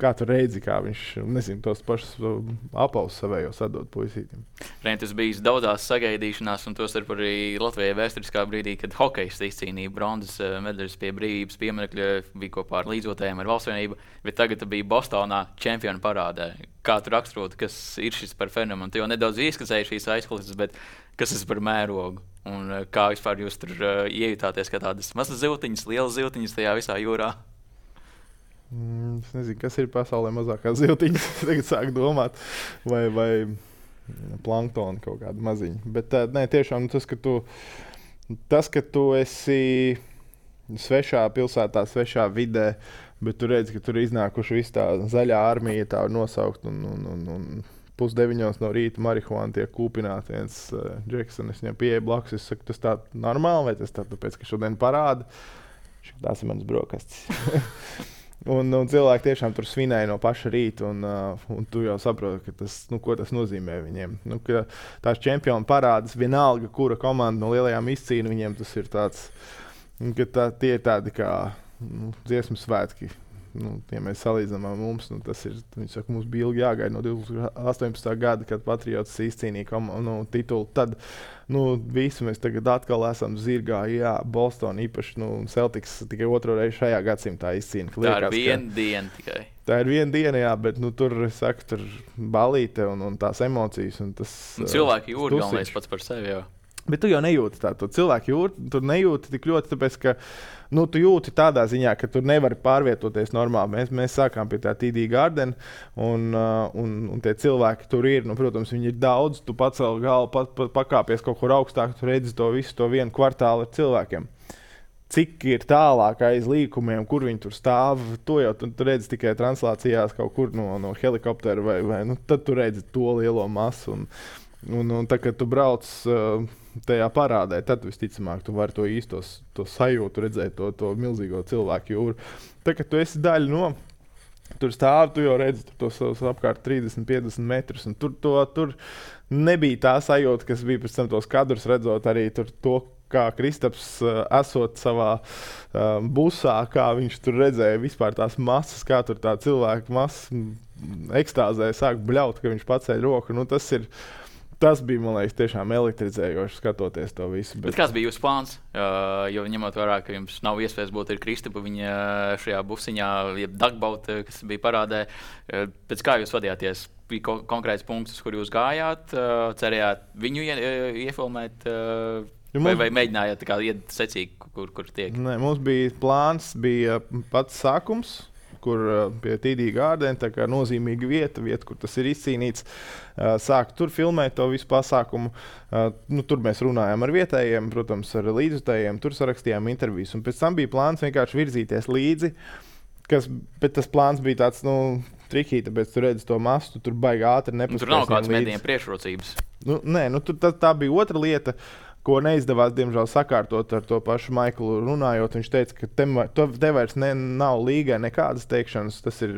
kā tu redzi, kā viņš, nezinu, tos pašus uh, apaus savējos atdod puisītim. Reini, tas bijis daudzās sagaidīšanās un tostarp arī Latvijai vēsturiskā brīdī, kad hokejs izcīnīja bronzas uh, medaļas pie brīvības pieminekļa, bija kopā ar līdzotājiem ar Valsts vienību, bet tagad bija Bostonā čempionu parādē. Kā tu raksturotu, kas ir šis par fenomenu? Tu jau nedaudz ieskicēji šīs aizklases, bet kas tas par mērogu? Un kā vispār jūs tur uh, iejutāties kā tādas mazas ziltiņas, lielas ziltiņas tajā visā jūrā? Mm, es nezinu, kas ir pasaulē mazākās ziltiņas. Tagad sāk domāt, vai, vai planktoni kaut kāda maziņa. Bet uh, nē, tiešām tas, ka tu, tas, ka tu esi svešā pilsētā, svešā vidē, bet tu redzi, ka tur iznākuši viss tā zaļā armija, tā var nosaukt, un, un, un, un pusdeviņos no rīta marihuāna tiek kūpināti. Viens uh, Džeksons, es viņam pieeju blakus, es saku, tas tā normāli, vai tas tā tāpēc, ka šodien parāda? Tās ir manas brokastis. un, un cilvēki tiešām tur svinēja no paša rīta, un, uh, un tu jau saproti, ka tas, nu, ko tas nozīmē viņiem. Nu, ka tās čempionu parādas, vienalga, kura komanda no lielajām izcīna, viņiem tas ir tāds, ka tā, tie ir tādi kā nu, dziesmu svētki. Nu, ja mēs salīdzinām ar mums, nu, tas ir, viņi saka, mums bija ilgi jāgaida no divtūkstoš astoņpadsmitā gada, kad Patriots izcīnīja nu, titulu. Tad nu, visi mēs tagad atkal esam zirgā, jā, Boston īpaši, nu, Celtics tikai otro reizi šajā gadsimtā izcīna. Tā liekas, ir viena diena tikai. Tā ir viena diena, jā, bet nu, tur, es saku, tur balīte un, un tās emocijas. Un tas, un cilvēki jūra galvenais pats par sevi jau. Bet tu jau nejūti tā, tu cilvēki jūti, tu nejūti tik ļoti, tāpēc, ka nu, tu jūti tādā ziņā, ka tu nevari pārvietoties normāli. Mēs, mēs sākām pie tā T D Garden, un, uh, un, un tie cilvēki tur ir, nu, protams, viņi ir daudz, tu pacēl galvu, pa, pa, pakāpies kaut kur augstāk, tu redzi to visu, to vienu kvartālu ar cilvēkiem. Cik ir tālāk aiz līkumiem, kur viņi tur stāv, to jau tu, tu redzi tikai translācijās kaut kur no, no helikoptera, vai, vai nu, tad tu redzi to lielo masu. Un, un, un tā, kad tu brauc uh, tajā parādē, tad visticamāk tu vari to īstos, to sajūtu redzēt, to, to milzīgo cilvēku jūru. Tā, kad tu esi daļa no, tur stāv, tu jau redzi tur tos apkārt trīsdesmit piecdesmit metrus, un tur, to, tur nebija tā sajūta, kas bija pēc tam tos kadrus redzot arī tur to, kā Kristaps uh, esot savā uh, busā, kā viņš tur redzēja vispār tās masas, kā tur tā cilvēka masas ekstāzē sāk bļaut, ka viņš pacēļ roku. Nu, tas ir Tas bija, man liekas, tiešām elektrizējoši skatoties to visu. Bet... Bet kāds bija jūsu plāns? Uh, jo ņemot vērā, ka jums nav iespējas būt ar Kristapa viņa šajā busiņā, jeb dagbaut, kas bija parādē. Uh, pēc kā jūs vadījāties? Bija ko konkrēts punkts, kur jūs gājāt, uh, cerējāt viņu ie, iefilmēt, uh, ja vai, vai mēģinājāt tā kā iet secīgi, kur, kur tiek? Nē, mums bija plāns, bija pats sākums, kur pie T D Garden, tā kā nozīmīga vieta, vieta, kur tas ir izcīnīts. Sāk tur filmēt to visu pasākumu. Nu, tur mēs runājām ar vietējiem, protams, ar līdzutējiem, tur sarakstījām intervijas. Un pēc tam bija plāns vienkārši virzīties līdzi, kas, bet tas plāns bija tāds, nu, trikī, tāpēc tu redzi to masu, tu tur baigi ātri nepaspēsim līdzi. Tur nav kāds medijiem priekšrocības. Nu, nē, nu, tur, tā, tā bija otra lieta, ko neizdevās, diemžēl, sakārtot ar to pašu Maiklu runājot. Viņš teica, ka te, te vairs ne, nav līgai nekādas teikšanas. Tas ir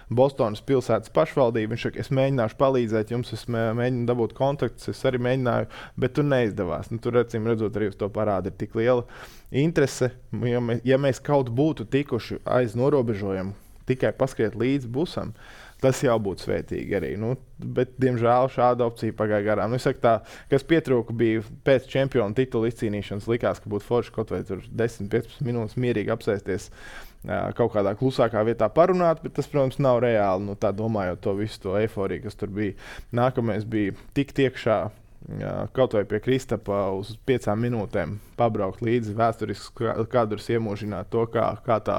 Bostonas pilsētas pašvaldība. Viņš saka, es mēģināšu palīdzēt jums, es mēģinu dabūt kontaktus, es arī mēģināju, bet tur neizdevās. Nu, tur, acīm redzot, arī uz to parāda ir tik liela interese. Ja mēs, ja mēs kaut būtu tikuši aiz norobežojumu, tikai paskriet līdz busam, tas jau būtu svētīgi arī. Nu, bet, diemžēl, šāda opcija pagāja garām. Nu, es saku tā, kas pietrūka bija pēc čempionu titula izcīnīšanas, likās, ka būtu forši kaut vai tur desmit piecpadsmit minūtes mierīgi apsēsties kaut kādā klusākā vietā parunāt, bet tas, protams, nav reāli, nu, tā domājot to visu to eiforiju, kas tur bija. Nākamais bija tikt iekšā, kaut vai pie Kristapa uz piecām minūtēm pabraukt līdzi vēsturisks kadrus, iemūžināt to, kā, kā, tā,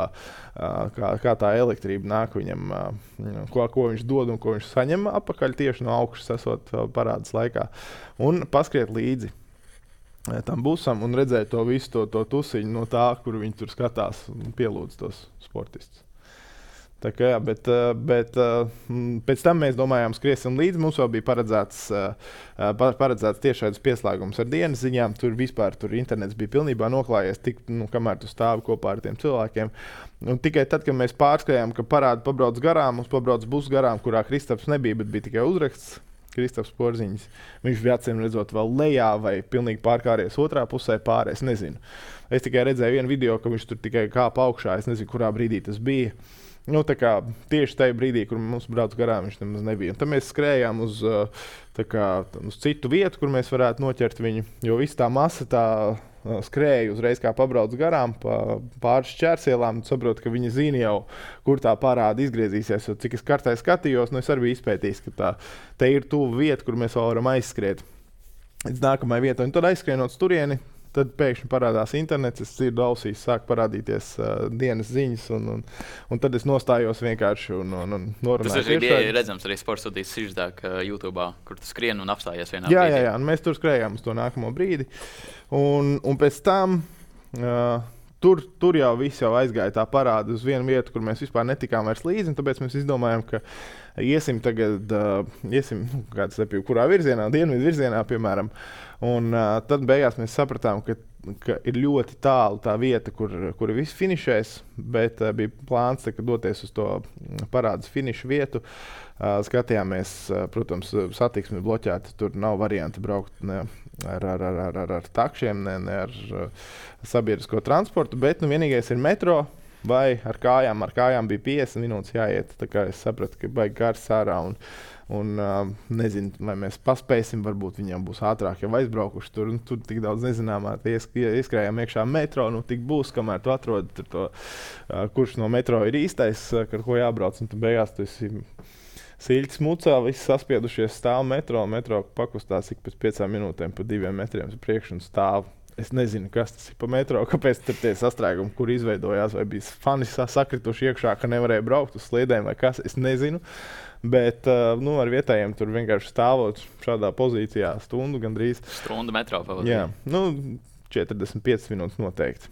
kā, kā tā elektrība nāk viņam, ko, ko viņš dod un ko viņš saņem apakaļ tieši no augšas esot parādas laikā. Un paskriet līdzi tam busam un redzēt to visu to, to tusiņu no tā, kur viņi tur skatās un pielūdz tos sportistus. Tā kā, jā, bet, bet pēc tam mēs domājām, skriesim līdzi. Mums jau bija paredzēts, paredzēts tiešais pieslēgums ar dienas ziņām. Tur vispār tur internets bija pilnībā noklājies, tik, nu, kamēr tu stāvi kopā ar tiem cilvēkiem. Un tikai tad, kad mēs pārskrējām, ka parādi pabrauc garām, mums pabrauc bus garām, kurā Kristaps nebija, bet bija tikai uzraksts. Kristaps Porziņš. Viņš bija acīm redzot vēl lejā vai pilnīgi pārkāries otrā pusē pāri. Es nezinu. Es tikai redzēju vienu video, ka viņš tur tikai kāpa augšā. Es nezinu, kurā brīdī tas bija. Nu, tā kā tieši tajā brīdī, kur mums brauc garām, viņš nemaz nebija. Un tad mēs skrējām uz, tā kā, uz citu vietu, kur mēs varētu noķert viņu. Jo viss tā masa tā skrēja uzreiz, kā pabrauc garām pa pāris šķērsielām. Saprotu, ka viņi zina jau, kur tā parāda izgriezīsies. Jo cik es kartē skatījos, nu es arī biju izpētījis, ka tā te ir tuva vieta, kur mēs vēl varam aizskriet līdz nākamajai vietai. Un tad aizskrienot turieni, tad pēkšņi parādās internets, es dzirdu ausīs, sāk parādīties uh, dienas ziņas, un, un, un tad es nostājos vienkārši un, un, un norunāju. Tas arī bija redzams arī sporta studijas siždāk uh, YouTube, kur tu skrien un apstājies vienā jā, brīdī. Jā, jā, un mēs tur skrējām uz to nākamo brīdi. Un, un pēc tam uh, tur, tur jau viss jau aizgāja tā parāda uz vienu vietu, kur mēs vispār netikām vairs līdzi, un tāpēc mēs izdomājām, ka iesim tagad, uh, iesim, kāds lepīju, kurā virzienā, dienvidu virzienā, piemēram. Un uh, tad beigās mēs sapratām, ka, ka ir ļoti tālu tā vieta, kur, kur viss finišēs, bet uh, bija plāns tā, doties uz to parādas finišu vietu. Uh, skatījāmies, uh, protams, satiksmi bloķēta, tur nav varianti braukt ne ar, ar, ar, ar, ar, ar takšiem, ne, ne ar uh, sabiedrisko transportu, bet nu, vienīgais ir metro. Vai ar kājām, ar kājām bija piecdesmit minūtes jāiet. Tā kā es sapratu, ka baigi gars ārā un, un uh, nezinu, vai mēs paspēsim, varbūt viņam būs ātrāk jau aizbraukuši tur. Tur tik daudz nezināmā, ieskrējām iekšā metro, nu tik būs, kamēr tu atrodi tur to, uh, kurš no metro ir īstais, uh, ar ko jābrauc. Un tu beigās tu esi siļķis mucā, visi saspiedušies stāv metro, metro pakustās ik pēc piecām minūtēm pa diviem metriem uz priekšu un stāv. Es nezinu, kas tas ir pa metro, kāpēc tur tie sastrēgumi, kur izveidojās, vai bija fani sakrituši iekšā, ka nevarēja braukt uz sliedēm vai kas, es nezinu. Bet nu, ar vietējiem tur vienkārši stāvot šādā pozīcijā stundu gandrīz. Stundu metro pavadīja. Jā, nu četrdesmit piecas minūtes noteikti.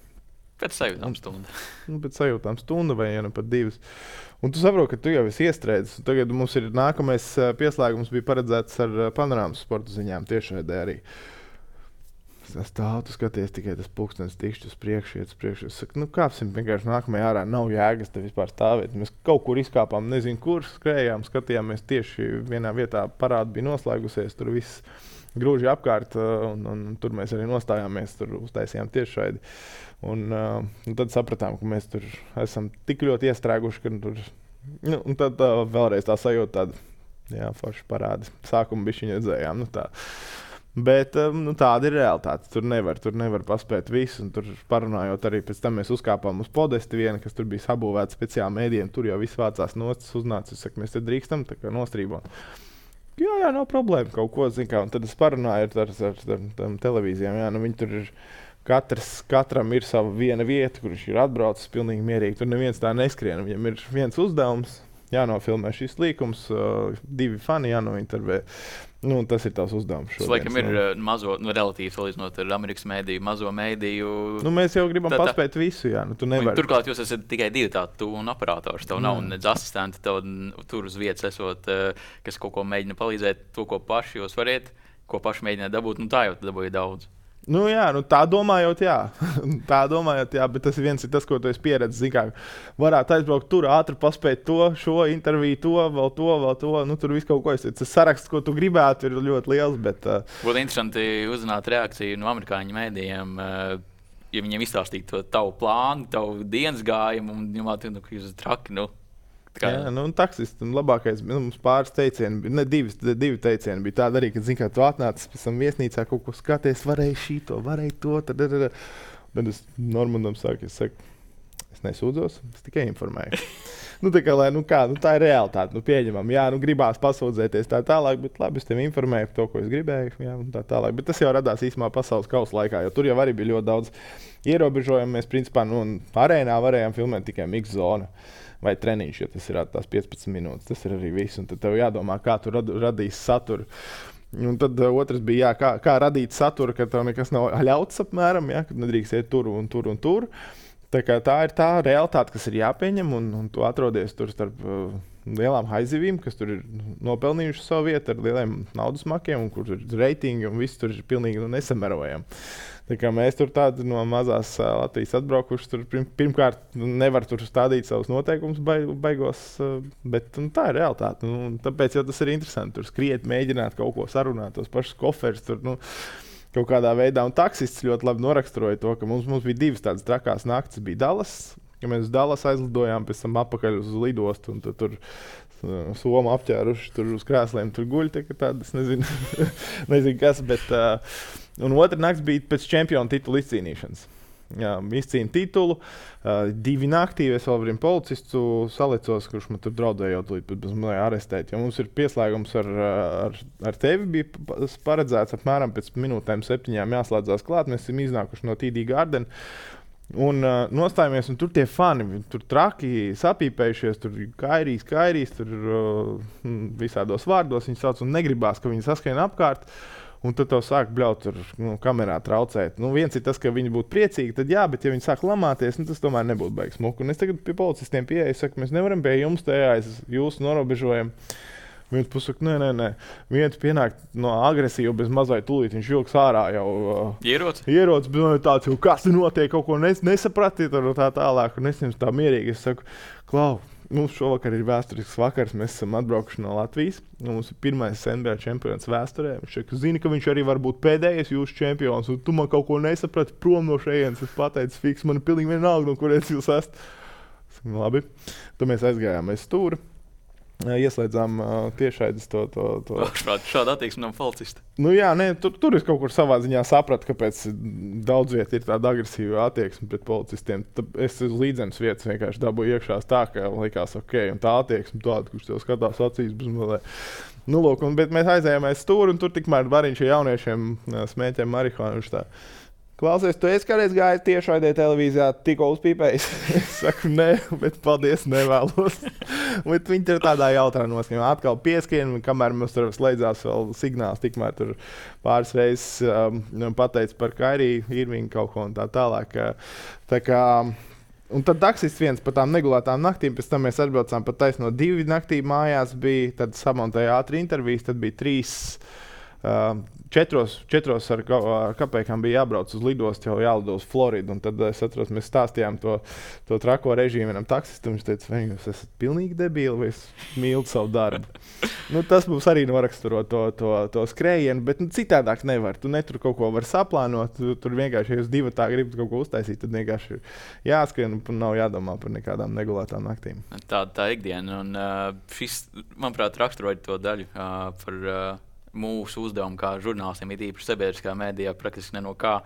Pēc sajūtām stunda. Nu, pēc sajūtām stunda vai ja ne pat divas. Un tu saproti, ka tu jau esi iestrēdzis. Tagad mums ir nākamais pieslēgums bija paredzēts ar panorāmas sporta ziņām tiešraidē arī. Es stāvu, tu skaties tikai tas pulkstenis tikšķi uz priekšu, iet uz priekšu. Es saku, nu kāpsim vienkārši nākamajā ārā, nav jēgas te vispār stāvēt. Mēs kaut kur izkāpām, nezinu kur, skrējām, skatījāmies tieši vienā vietā, parāda bija noslēgusies, tur viss grūži apkārt, un, un, un tur mēs arī nostājāmies, tur uztaisījām tiešraidi. Un, uh, un tad sapratām, ka mēs tur esam tik ļoti iestrēguši, ka tur, nu, un tad uh, vēlreiz tā sajūta tāda, jā, forši parādi. Sākumu bišķiņu redzējām, nu tā. Bet nu, tāda ir realitāte. Tur nevar, tur nevar paspēt visu. Tur parunājot arī pēc tam mēs uzkāpām uz podesti vienu, kas tur bija sabūvēts speciāli mēdījiem. Tur jau viss vācās nostas, uznāca. Es saku, mēs te drīkstam, tā kā nostrībot. Jā, jā, nav problēma kaut ko, zin kā. Un tad es parunāju ar, ar, ar, ar, ar televīzijām. Jā, nu viņi tur ir, katrs, katram ir sava viena vieta, kur viņš ir atbraucis pilnīgi mierīgi. Tur neviens tā neskrien. Viņam ir viens uzdevums. Jānofilmē šis līkums, uh, divi fani jānointervē. Nu, tas ir tās uzdevums. Tas, laikam, ir uh, mazo, nu, relatīvi salīdzinot ar Amerikas mēdīju, mazo mēdīju. Nu, mēs jau gribam tā, tā. paspēt visu, jā. Nu, tu nevari. Turklāt jūs esat tikai divi tādi tu un operators. Tev nav nedz asistenti, tev tur uz vietas esot, uh, kas kaut ko mēģina palīdzēt, to, ko paši jūs variet, ko paši mēģināt dabūt. Nu, tā jau dabūja daudz. Nu, jā, nu, tā domājot, jā. tā domājot, jā, bet tas ir viens ir tas, ko tu esi pieredzis. Zin kā, varētu aizbraukt tur, ātri paspēt to, šo interviju, to, vēl to, vēl to. Nu, tur viss kaut ko es. Tas saraksts, ko tu gribētu, ir ļoti liels. Bet, uh... Būtu interesanti uzzināt reakciju no amerikāņu mēdījiem, uh, ja viņiem izstāstītu to tavu plānu, tavu dienas gājumu, un domāt, nu, ka jūs esat traki. Nu. Kā... Jā, nu, un taksists labākais, nu, mums pāris teicieni, ne divi, divi teicieni bija tādi arī, ka, zin kā, tu atnācis pēc tam viesnīcā, kaut ko skaties, varēja šito, varēja to, tad, tad, tad. Tad es Normandam saku, es saku, es nesūdzos, es tikai informēju. nu, tā kā, lai, nu kā, nu, tā ir realitāte, nu, pieņemam, jā, nu, gribās pasūdzēties tā tālāk, bet labi, es tevi informēju par to, ko es gribēju, jā, un tā tālāk. Bet tas jau radās īsumā pasaules kausa laikā, jo tur jau arī bija ļoti daudz ierobežojumu. Mēs, principā, nu, arēnā varējām filmēt tikai mix zonu. Vai treniņš, ja tas ir tās piecpadsmit minūtes. Tas ir arī viss. Un tad tev jādomā, kā tu rad, radīsi saturu. Un tad uh, otrs bija, jā, kā, kā radīt saturu, kad tev nekas nav ļauts apmēram, jā, kad nedrīkst iet tur un tur un tur. Tā, tā ir tā realitāte, kas ir jāpieņem, un, un tu atrodies tur starp uh, lielām haizivīm, kas tur ir nopelnījuši savu vietu ar lieliem naudas makiem, un kur ir reitingi, un viss tur ir pilnīgi nu, nesamerojami. Tā kā mēs tur tādi no mazās uh, Latvijas atbraukuši, tur pirm, pirmkārt nevar tur stādīt savus noteikumus baigos, uh, bet nu, tā ir realitāte. Nu, tāpēc jau tas ir interesanti, tur skriet, mēģināt kaut ko sarunāt, tos pašus koferus tur, nu, kaut kādā veidā, un taksists ļoti labi noraksturoja to, ka mums, mums bija divas tādas trakās naktas. Bija Dallas, ka mēs uz Dallas aizlidojām, pēc tam apakaļ uz lidostu, un tu, tur uh, Somu apķēruši tur uz krēsliem, tur guļ, tā, tādas, nezinu, nezinu kas, bet, uh, un otra nakts bija pēc čempiona titula izcīnīšanas. Jā, izcīna titulu, uh, divi naktī, es vēl variem policistu salicos, kurš man tur draudējot līdz bez manai arestēt, jo mums ir pieslēgums ar, ar, ar tevi bija paredzēts apmēram pēc minūtēm septiņām jāslēdzās klāt, mēs esam iznākuši no T D Garden un uh, nostājamies, un tur tie fani, tur traki sapīpējušies, tur kairīs, kairīs, tur uh, visādos vārdos viņi sauc un negribās, ka viņi saskrien apkārt. Un tad tev sāk bļaut tur, nu, kamerā traucēt. Nu, viens ir tas, ka viņi būtu priecīgi, tad jā, bet ja viņi sāk lamāties, nu, tas tomēr nebūtu baigs smuku. Un es tagad pie policistiem pieeju, saku, mēs nevaram pie jums tajā, jūs norobežojam. Viens pusaka, nē, nē, nē. Viens pienāk no agresīva bez mazai tūlīt, viņš vilks ārā jau. Uh, ierots? Ierots, bet tāds jau, kas te notiek, kaut ko nes, nesapratiet, un tā tālāk. Un es jums tā mierīgi, es saku, Klau, mums šovakar ir vēsturisks vakars, mēs esam atbraukuši no Latvijas. Mums ir pirmais N B A čempions vēsturē. Viņš šeit, zina, ka viņš arī var būt pēdējais jūsu čempions, un tu man kaut ko nesaprati prom no šejienes. Es pateicu, fiks, man ir pilnīgi vienalga, no kurienes jūs esat. Labi, tad mēs aizgājām aiz stūra. Ieslēdzām uh, tiešaides to... to, to. Šāda attieksme no policista. Nu jā, nē, tur, tur es kaut kur savā ziņā sapratu, kāpēc daudz viet ir tāda agresīva attieksme pret policistiem. Tad es uz līdzenas vietas vienkārši dabūju iekšās tā, ka likās ok, un tā attieksme tāda, kurš tev skatās acīs bez mazē. Nu, lūk, un, bet mēs aizējām aiz stūri, un tur tikmēr bariņš ar jauniešiem smēķēm marihuānu. Viņš tā, klausies, tu esi kādreiz gājis tiešraidē televīzijā, tikko uzpīpējis? Es saku, nē, bet paldies, nevēlos. Bet viņi tur tādā jautrā noskaņā. Atkal pieskrien, kamēr mums tur slēdzās vēl signāls, tikmēr tur pāris reizes um, pateica par Kairiju, Irvingu kaut ko un tā tālāk. Tā kā, un tad taksists viens par tām negulētām naktīm, pēc tam mēs atbraucām pat taisno divi naktī mājās bija, tad samontēja ātri intervijas, tad bija trīs... Uh, četros, četros ar, ar kapēkām bija jābrauc uz lidostu, jau jālido uz Floridu, un tad es atceros, mēs stāstījām to, to trako režīmu vienam taksistam, viņš teica, vai jūs esat pilnīgi debīli, vai es mīlu savu darbu. Nu, tas mums arī noraksturo to, to, to skrējienu, bet nu, citādāk nevar. Tu netur kaut ko var saplānot, tu, tur vienkārši, ja jūs divi tā gribat kaut ko uztaisīt, tad vienkārši ir jāskrien un nav jādomā par nekādām negulētām naktīm. Tā, tā ikdiena, un uh, šis, manuprāt, raksturoja to daļu uh, par... Uh, mūsu uzdevumu kā žurnālistiem, ir īpaši sabiedriskā mēdījā, praktiski ne no kā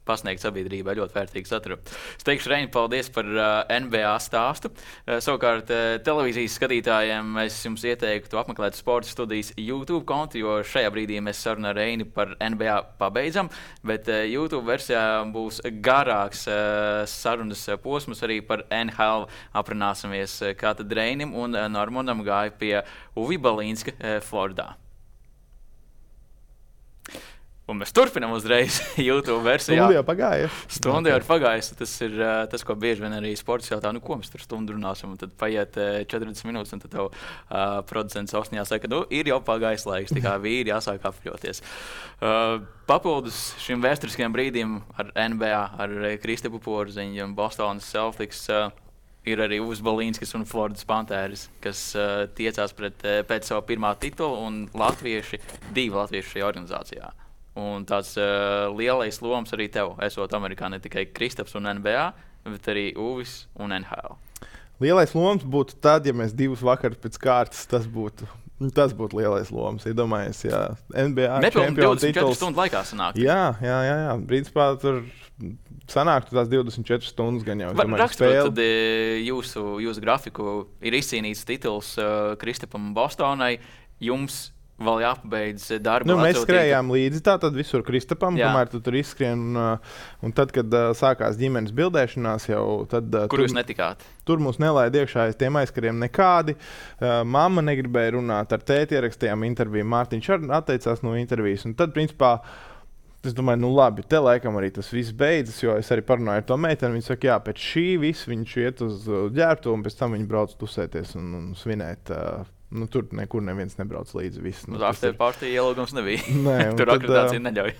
pasniegt sabiedrībai ļoti vērtīgu saturu. Es teikšu, Reini, paldies par uh, N B A stāstu. Uh, savukārt, uh, televīzijas skatītājiem es jums ieteiktu apmeklēt Sporta studijas YouTube kontu, jo šajā brīdī mēs sarunu ar Reini par N B A pabeidzam, bet uh, YouTube versijā būs garāks uh, sarunas posms arī par N H L. Aprunāsimies, uh, kā tad Reinim un uh, Normandam gāja pie Uvi Balīnska uh, Floridā. Un mēs turpinām uzreiz YouTube versijā. Stundu jau pagāja. Stundu jau ir pagājis. Tas ir uh, tas, ko bieži vien arī sports jautā, nu ko mēs tur stundu runāsim, un tad paiet uh, četrdesmit minūtes, un tad tev uh, producents Osnijā saka, nu ir jau pagājis laiks, tā kā vīri jāsāk apļoties. Uh, papildus šim vēsturiskajam brīdim ar N B A, ar Kristapu Porziņu un Bostonas Celtics, uh, ir arī Uvis Balīnskis un Floridas Panthers, kas uh, tiecās pret, uh, pēc savu pirmā titulu, un latvieši, divi latvieši šajā organizācijā. Un tāds uh, lielais loms arī tev, esot Amerikā, ne tikai Kristaps un N B A, bet arī Uvis un N H L. Lielais loms būtu tad, ja mēs divus vakarus pēc kārtas, tas būtu, tas būtu lielais loms. Iedomājies, jā, N B A čempionu divdesmit četru stundu laikā sanāk. Jā, jā, jā, jā. Principā tur sanāktu tās divdesmit četras stundas gan jau. Raksturot, tad jūsu, jūsu grafiku ir izcīnīts tituls uh, Kristapam Bostonai. Jums vēl jāpabeidz darbu. Nu, mēs skrējām līdzi tā, tad visur Kristapam, kamēr tu tur izskrien. Un, un tad, kad uh, sākās ģimenes bildēšanās jau, tad... Uh, Kur tur, jūs netikāt? Tur mūs nelaida iekšā aiz tiem aizkariem nekādi. Uh, mamma negribēja runāt ar tēti, ierakstījām interviju. Mārtiņš arī atteicās no intervijas. Un tad, principā, Es domāju, nu labi, te laikam arī tas viss beidzas, jo es arī parunāju ar to meiteni. Viņa saka, jā, pēc šī viss viņš iet uz ģērbtu, un pēc tam viņi brauc tusēties un, un svinēt. Uh, nu, tur nekur neviens nebrauc līdzi. Viss, nu, uz after party ielūgums nebija. Nē, tur tad, akreditācija neļauj.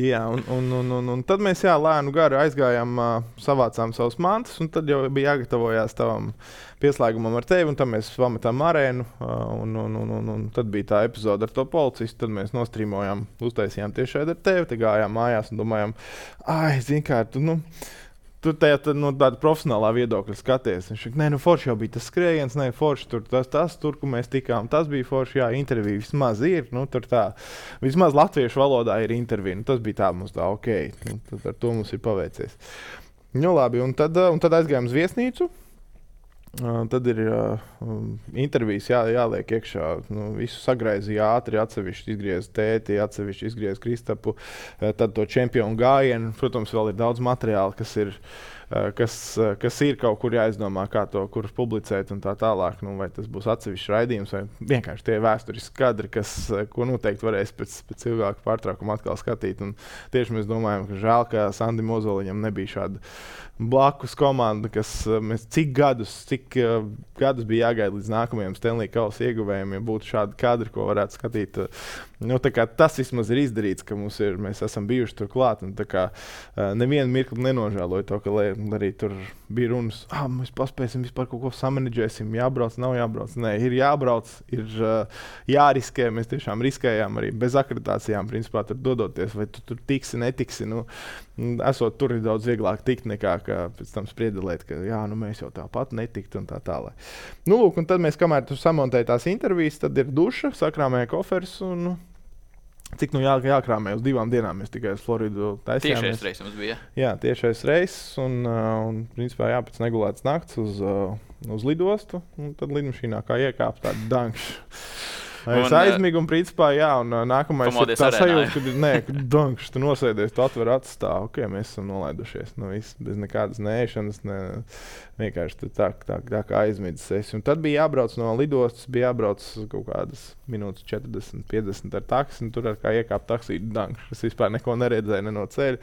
jā, un, un, un, un, un tad mēs jā, lēnu garu aizgājām, uh, savācām savus mantas, un tad jau bija jāgatavojās tavam pieslēgumam ar tevi, un tad mēs pametām arēnu, uh, un, un, un, un, un tad bija tā epizode ar to policistu, tad mēs nostrīmojām, uztaisījām tieši ar tevi, te gājām mājās un domājām, ai, zin kā, tu, nu, tu tajā tā, no tāda profesionālā viedokļa skaties. Viņš saka, nē, nu forši jau bija tas skrējiens, nē, forši tur, tas, tas, tur, kur mēs tikām, tas bija forši, jā, intervija vismaz ir, nu, tur tā, vismaz latviešu valodā ir intervija, nu, tas bija tā mums tā, ok, nu, tad ar to mums ir paveicies. Nu, labi, un tad, un tad aizgājām uz viesnīcu. Uh, tad ir uh, intervijas jā, jāliek iekšā. Nu, visu sagraizīja ātri, atsevišķi izgriez tēti, atsevišķi izgriez Kristapu, uh, tad to čempionu gājienu. Protams, vēl ir daudz materiāla, kas ir, uh, kas, uh, kas ir kaut kur jāizdomā, kā to kur publicēt un tā tālāk. Nu, vai tas būs atsevišķs raidījums vai vienkārši tie vēsturiski kadri, kas, uh, ko noteikti varēs pēc, pēc ilgāka pārtraukuma atkal skatīt. Un tieši mēs domājam, ka žēl, ka Sandim Ozoliņam nebija šāda blakus komanda, kas mēs cik gadus, cik uh, gadus bija jāgaida līdz nākamajam Stanley Kausa ieguvējiem, ja būtu šādi kadri, ko varētu skatīt. Nu, tā kā tas vismaz ir izdarīts, ka mums ir, mēs esam bijuši tur klāt, un tā kā uh, nevienu mirkli nenožēloju to, ka lai, arī tur bija runas, ah, mēs paspēsim vispār kaut ko samanedžēsim, jābrauc, nav jābrauc. Nē, ir jābrauc, ir uh, jāriskē, mēs tiešām riskējām arī bez akreditācijām, principā tur dodoties, vai tu tur tiksi, netiksi, nu, esot tur ir daudz vieglāk tikt nekā, ka pēc tam spriedelēt, ka jā, nu mēs jau tāpat netikt un tā tālāk. Nu, lūk, un tad mēs, kamēr tu samontēji tās intervijas, tad ir duša, sakrāmēja koferis un nu, cik nu jā, jākrāmē uz divām dienām, mēs tikai uz Floridu taisījāmies. Tiešais reiss mums bija. Jā, tiešais reiss un, un principā jā, pēc negulētas nakts uz, uz lidostu, un tad lidmašīnā kā iekāp tādu dankšu. Es aizmigu un principā, jā, un nākamais ir tā sajūta, kad, nē, kad dankšs, tu nosēdies, tu atver acis tā, ok, mēs esam nolaidušies, nu viss, bez nekādas neēšanas, ne, vienkārši tu tā, tā, tā kā aizmidzis esi. Un tad bija jābrauc no lidostas, bija jābrauc kaut kādas minūtes četrdesmit, piecdesmit ar taksi, un tur ar kā iekāp taksī dankšs, es vispār neko neredzēju, ne no ceļa.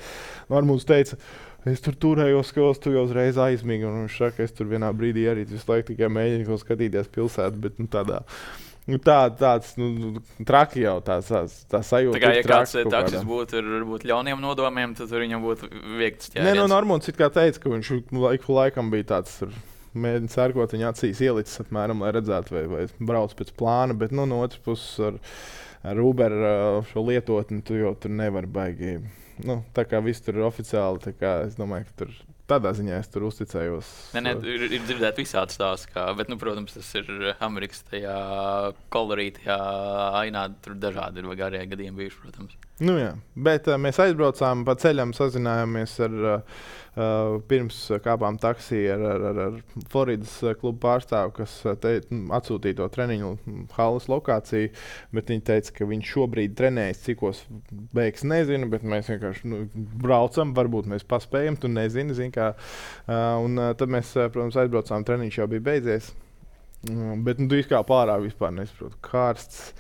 Un mums teica, es tur turējos, ka tu jau uzreiz aizmīgi, un viņš saka, es tur vienā brīdī arī visu laiku tikai mēģinu skatīties pilsētu, bet nu tādā. Nu, tā, tāds nu, traki jau tāds, tāds tā sajūta. Tā kā, ja kāds taksis būtu ar varbūt ļauniem nodomiem, tad viņam būtu viegts ķēriens. Nē, no Normons it kā teica, ka viņš laiku laikam bija tāds, mēģina sērkot viņa acīs ielicis apmēram, lai redzētu, vai, vai brauc pēc plāna, bet nu, no otras puses ar, ar Uber šo lietotni tu jau tur nevar baigi. Nu, tā kā viss tur ir oficiāli, tā kā es domāju, ka tur tādā ziņā es tur uzticējos. Nē, nē, ir, ir dzirdēt visādi stāsti, kā, bet, nu, protams, tas ir Amerikas tajā kolorītajā ainā, tur dažādi ir garie gadījumi bijuši, protams. Nu jā, bet uh, mēs aizbraucām pa ceļam, sazinājāmies ar, uh, pirms kāpām taksī ar, ar, ar, ar Floridas klubu pārstāvu, kas te, atsūtīja to treniņu halas lokāciju, bet viņi teica, ka viņš šobrīd trenējas, cikos beigs nezinu, bet mēs vienkārši nu, braucam, varbūt mēs paspējam, tu nezini, zini kā. Uh, un uh, tad mēs, protams, aizbraucām, treniņš jau bija beidzies, uh, bet nu, tu izkāp ārā vispār nesaprotu, karsts.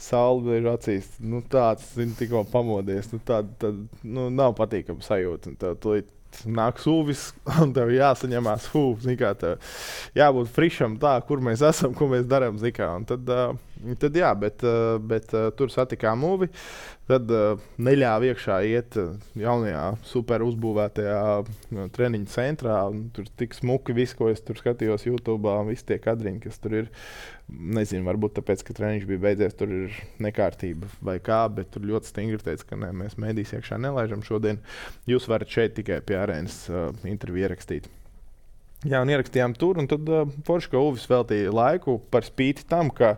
Saule ir acīs, nu tāds, zini, tikko pamodies, nu tāda, tāda, nu nav patīkama sajūta, un tev tulīt nāk sūvis, un tev jāsaņemās hūv, zini kā, tev jābūt frišam tā, kur mēs esam, ko mēs darām, zini kā, un tad, uh, tad jā, bet, uh, bet uh, tur satikām mūvi, tad uh, neļāva iekšā iet jaunajā super uzbūvētajā uh, treniņu centrā, un tur tik smuki viss, ko es tur skatījos YouTube'ā, un visi tie kadriņi, kas tur ir. Nezinu, varbūt tāpēc, ka treniņš bija beidzies, tur ir nekārtība vai kā, bet tur ļoti stingri teica, ka ne, mēs mēdīs iekšā nelaižam šodien. Jūs varat šeit tikai pie arēnas uh, interviju ierakstīt. Jā, un ierakstījām tur, un tad uh, forši, ka Uvis veltīja laiku par spīti tam, ka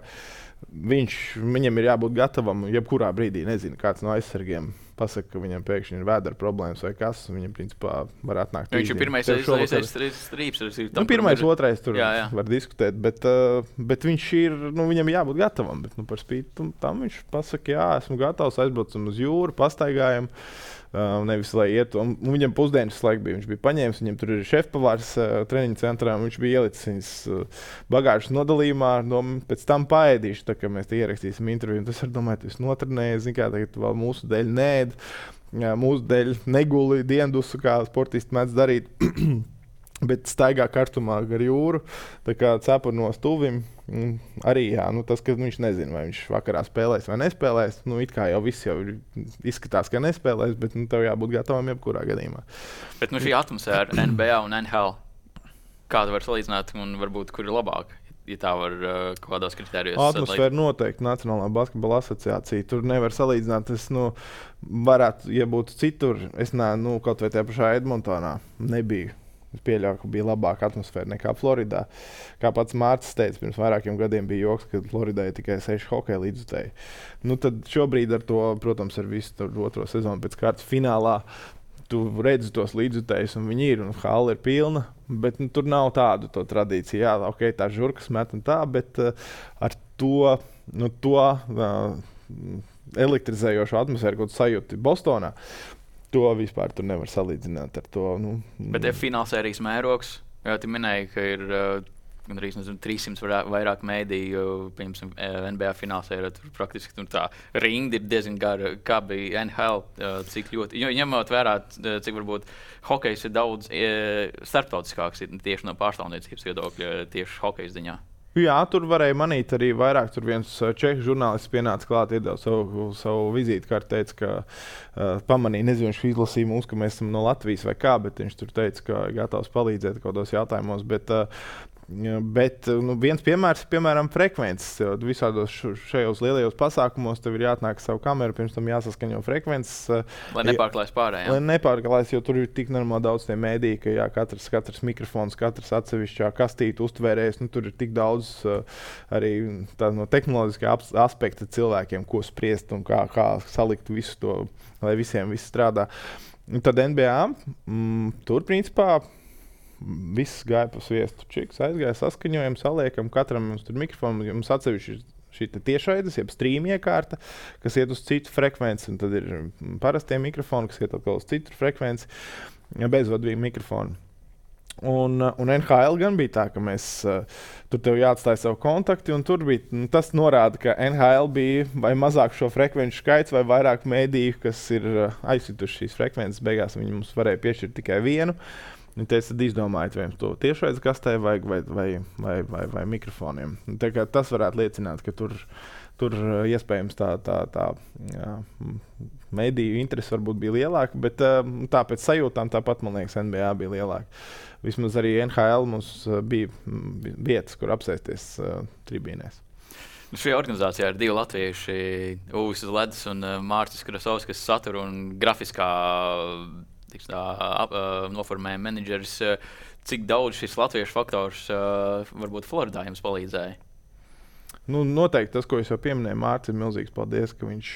viņš, viņam ir jābūt gatavam jebkurā brīdī, nezinu, kāds no aizsargiem pasaka, ka viņam pēkšņi ir vēdera problēmas vai kas, viņam principā var atnākt. Viņš ir pirmais strīps. Nu, pirmais, otrais tur jā, jā. Var diskutēt, bet, uh, bet viņš ir, nu, viņam jābūt gatavam, bet nu, par spīti tam viņš pasaka, jā, esmu gatavs, aizbraucam uz jūru, pastaigājam. Uh, nevis, lai iet, un viņam pusdienas laika bija, viņš bija paņēmis, viņam tur ir šefpavārs uh, treniņu centrā, viņš bija ielicis viņas uh, bagāžas nodalījumā, no, pēc tam paēdīšu, tā kā mēs te ierakstīsim interviju, un tas ar domāju, tu esi notrenējies, zin kā, tagad vēl mūsu dēļ nēd, jā, mūsu dēļ neguli diendusu, kā sportisti mēdz darīt, bet staigā karstumā gar jūru, tā kā cepurnos tuvim. Arī jā, nu, tas, ka viņš nezina, vai viņš vakarā spēlēs vai nespēlēs. Nu, it kā jau viss jau izskatās, ka nespēlēs, bet nu, tev jābūt gatavam jebkurā gadījumā. Bet nu, šī atmosfēra N B A un N H L, kāda var salīdzināt un varbūt kur ir labāk? Ja tā var uh, kaut kādās kritērijos. Atmosfēra noteikti Nacionālā basketbola asociācija. Tur nevar salīdzināt. Es nu, varētu, ja būtu citur, es ne, nu, kaut vai tajā pašā Edmontonā nebiju. Es pieļauju, ka bija labāka atmosfēra nekā Floridā. Kā pats Mārcis teica, pirms vairākiem gadiem bija joks, ka Floridai ir tikai seši hokeja līdzutēji. Nu, tad šobrīd ar to, protams, ar visu otro sezonu pēc kārtas finālā, tu redzi tos līdzutējus, un viņi ir, un halla ir pilna, bet nu, tur nav tādu to tradīciju. Jā, ok, tā žurkas met un tā, bet uh, ar to, nu, to uh, elektrizējošo atmosfēru, ko tu sajūti Bostonā, to vispār tur nevar salīdzināt ar to. Nu, bet ir finālsērijas mērogs. Jā, tu minēji, ka ir uh, gandrīz trīs simti vairāk mēdīju, piemēram, N B A finālsērija. Tur praktiski tur tā rinda ir diezgan gara, kā bija N H L, uh, cik ļoti. Jo, ņemot vērā, cik varbūt hokejs ir daudz uh, starptautiskāks tieši no pārstāvniecības viedokļa, tieši hokeja ziņā. Jā, tur varēja manīt arī vairāk. Tur viens čehu žurnālists pienāca klāt, iedeva savu, savu vizītkarti, teica, ka uh, pamanīja, nezinu, viņš izlasīja mums, ka mēs esam no Latvijas vai kā, bet viņš tur teica, ka gatavs palīdzēt kādos jautājumos. Bet, uh, bet nu, viens piemērs ir, piemēram, frekvences. Visādos šajos lielajos pasākumos tev ir jāatnāk savu kameru, pirms tam jāsaskaņo frekvences. Lai nepārklājas pārējiem. Lai nepārklājas, jo tur ir tik normāli daudz tie mēdī, ka jā, katrs, katrs mikrofons, katrs atsevišķā kastīte uztvērējs. Nu, tur ir tik daudz uh, arī tā, no tehnoloģiskā aspekta cilvēkiem, ko spriest un kā, kā salikt visu to, lai visiem viss strādā. Un tad N B A mm, tur principā viss gāja pa sviestu čiks, aizgāja saskaņojam, saliekam, katram mums tur mikrofonu, mums atsevišķi šī tiešraides, jeb stream iekārta, kas iet uz citu frekvenci, un tad ir parastie mikrofoni, kas iet atkal uz citu frekvenci, bezvadīgi mikrofoni. Un, un N H L gan bija tā, ka mēs tur tev jāatstāja savu kontakti, un tur bija, nu, tas norāda, ka N H L bija vai mazāk šo frekvenču skaits, vai vairāk mēdīju, kas ir aizsituši šīs frekvences, beigās viņi mums varēja piešķirt tikai vienu. Viņi teica, tad izdomājiet, vai jums to tiešraides kastē vajag vai, vai, vai, vai, vai mikrofoniem. Tā kā tas varētu liecināt, ka tur, tur iespējams tā, tā, tā jā, mediju interesi varbūt bija lielāka, bet tā pēc sajūtām tāpat, man liekas, N B A bija lielāka. Vismaz arī N H L mums bija vietas, kur apsēsties uh, tribīnēs. Šajā organizācijā ir divi latvieši, Uvis Ledus un Mārcis Krasovskis, kas satura un grafiskā tiks, tā, ap, noformējuma menedžeris. Cik daudz šis latviešu faktors varbūt Floridā jums palīdzēja? Nu, noteikti tas, ko es jau pieminēju, Mārcis, ir milzīgs paldies, ka viņš,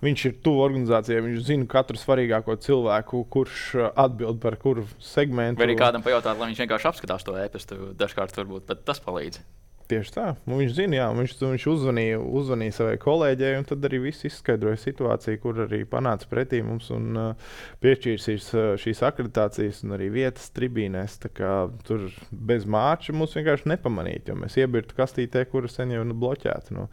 viņš ir tuvu organizācijai. Viņš zina katru svarīgāko cilvēku, kurš atbild par kuru segmentu. Vai arī kādam pajautāt, lai viņš vienkārši apskatās to e-pastu, dažkārt varbūt pat tas palīdz. Tieši tā. Nu, viņš zina, jā, viņš, viņš uzvanīja, uzvanīja savai kolēģei, un tad arī viss izskaidroja situāciju, kur arī panāca pretī mums un uh, piešķīra šīs, šīs akreditācijas un arī vietas tribīnēs. Tā kā tur bez Mārča mums vienkārši nepamanīt, jo mēs iebirtu kastītē, kura sen jau ir bloķēta. Nu,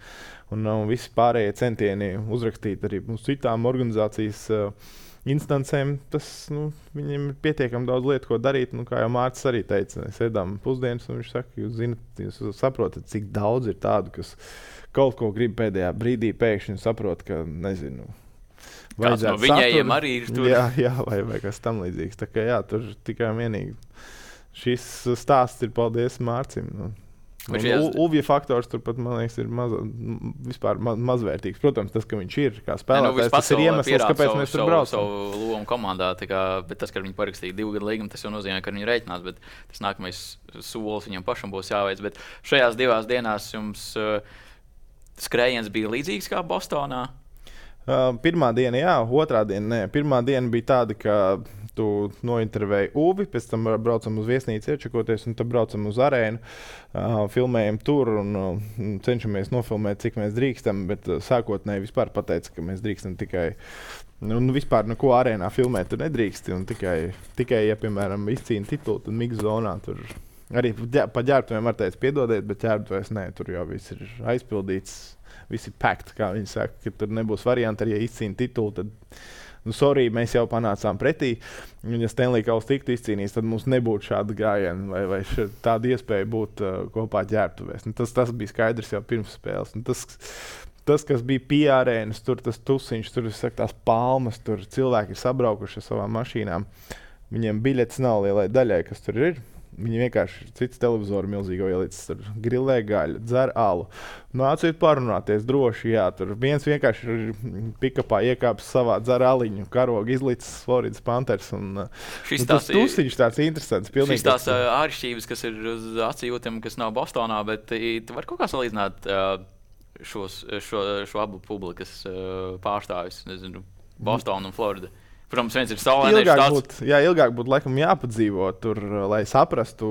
un, un visi pārējie centieni uzrakstīt arī mums citām organizācijas uh, instancēm, tas, nu, viņiem ir pietiekami daudz lietu, ko darīt. Nu, kā jau Mārcis arī teica, mēs ēdām pusdienas, un viņš saka, jūs zinat, jūs saprotat, cik daudz ir tādu, kas kaut ko grib pēdējā brīdī pēkšņi saprot, ka, nezinu, kāds no viņiem arī ir tur. Jā, jā vai, vai kas tam līdzīgs. Tā kā jā, tur tikai vienīgi šis stāsts ir paldies Mārcim. Nu. Uvja faktors turpat, man liekas, ir maz, vispār maz, mazvērtīgs. Protams, tas, ka viņš ir kā spēlētājs, nu, tas ir iemesls, kāpēc savu, mēs tur braucam. Savu lomu komandā, kā, bet tas, ka viņi parakstīja divu gadu līgumu, tas jau nozīmē, ka viņi rēķinās, bet tas nākamais solis viņam pašam būs jāveic. Bet šajās divās dienās jums uh, skrējiens bija līdzīgs kā Bostonā? Uh, pirmā diena, jā, otrā diena, nē. Pirmā diena bija tāda, ka tu nointervēji Uvi, pēc tam braucam uz viesnīcu iečakoties, un tad braucam uz arēnu, uh, filmējam tur un uh, cenšamies nofilmēt, cik mēs drīkstam, bet uh, sākotnēji vispār pateica, ka mēs drīkstam tikai, nu, vispār neko arēnā filmēt tur nedrīksti, un tikai, tikai ja, piemēram, izcīna titulu, tad mix zonā tur arī pa ģērbtuviem var teikt piedodiet, bet ģērbtuvēs nē, tur jau viss ir aizpildīts, viss ir packed, kā viņi saka, ka tur nebūs varianti, arī ja izcīna titulu, tad nu, sorry, mēs jau panācām pretī. Un, ja Stanley Kauss tiktu izcīnīts, tad mums nebūtu šāda gājiena vai, vai tāda iespēja būt uh, kopā ģērbtuvēs. Nu, tas, tas bija skaidrs jau pirms spēles. Nu, tas, tas, kas bija pie arēnas, tur tas tusiņš, tur saku, tās palmas, tur cilvēki ir sabraukuši ar savām mašīnām. Viņiem biļetes nav lielai daļai, kas tur ir. Viņi vienkārši cits televizoru milzīgo ielicis, tur grilē gaļu, dzer alu. Nāciet parunāties droši, jā, tur viens vienkārši ir pikapā iekāpis savā dzer aliņu, karogu izlicis Floridas Panthers. Un, šis un tas tusiņš tāds interesants. Pilnīgi, šis tās uh, āršķības, kas ir uz acījūtiem, kas nav Bostonā, bet tu vari kaut kā salīdzināt uh, šos, šo, šo abu publikas uh, pārstāvis, nezinu, Bostonu un Florida. Protams, viens ir saulēnēs. Ilgāk tāds... būtu, jā, ilgāk būtu laikam jāpadzīvo tur, lai saprastu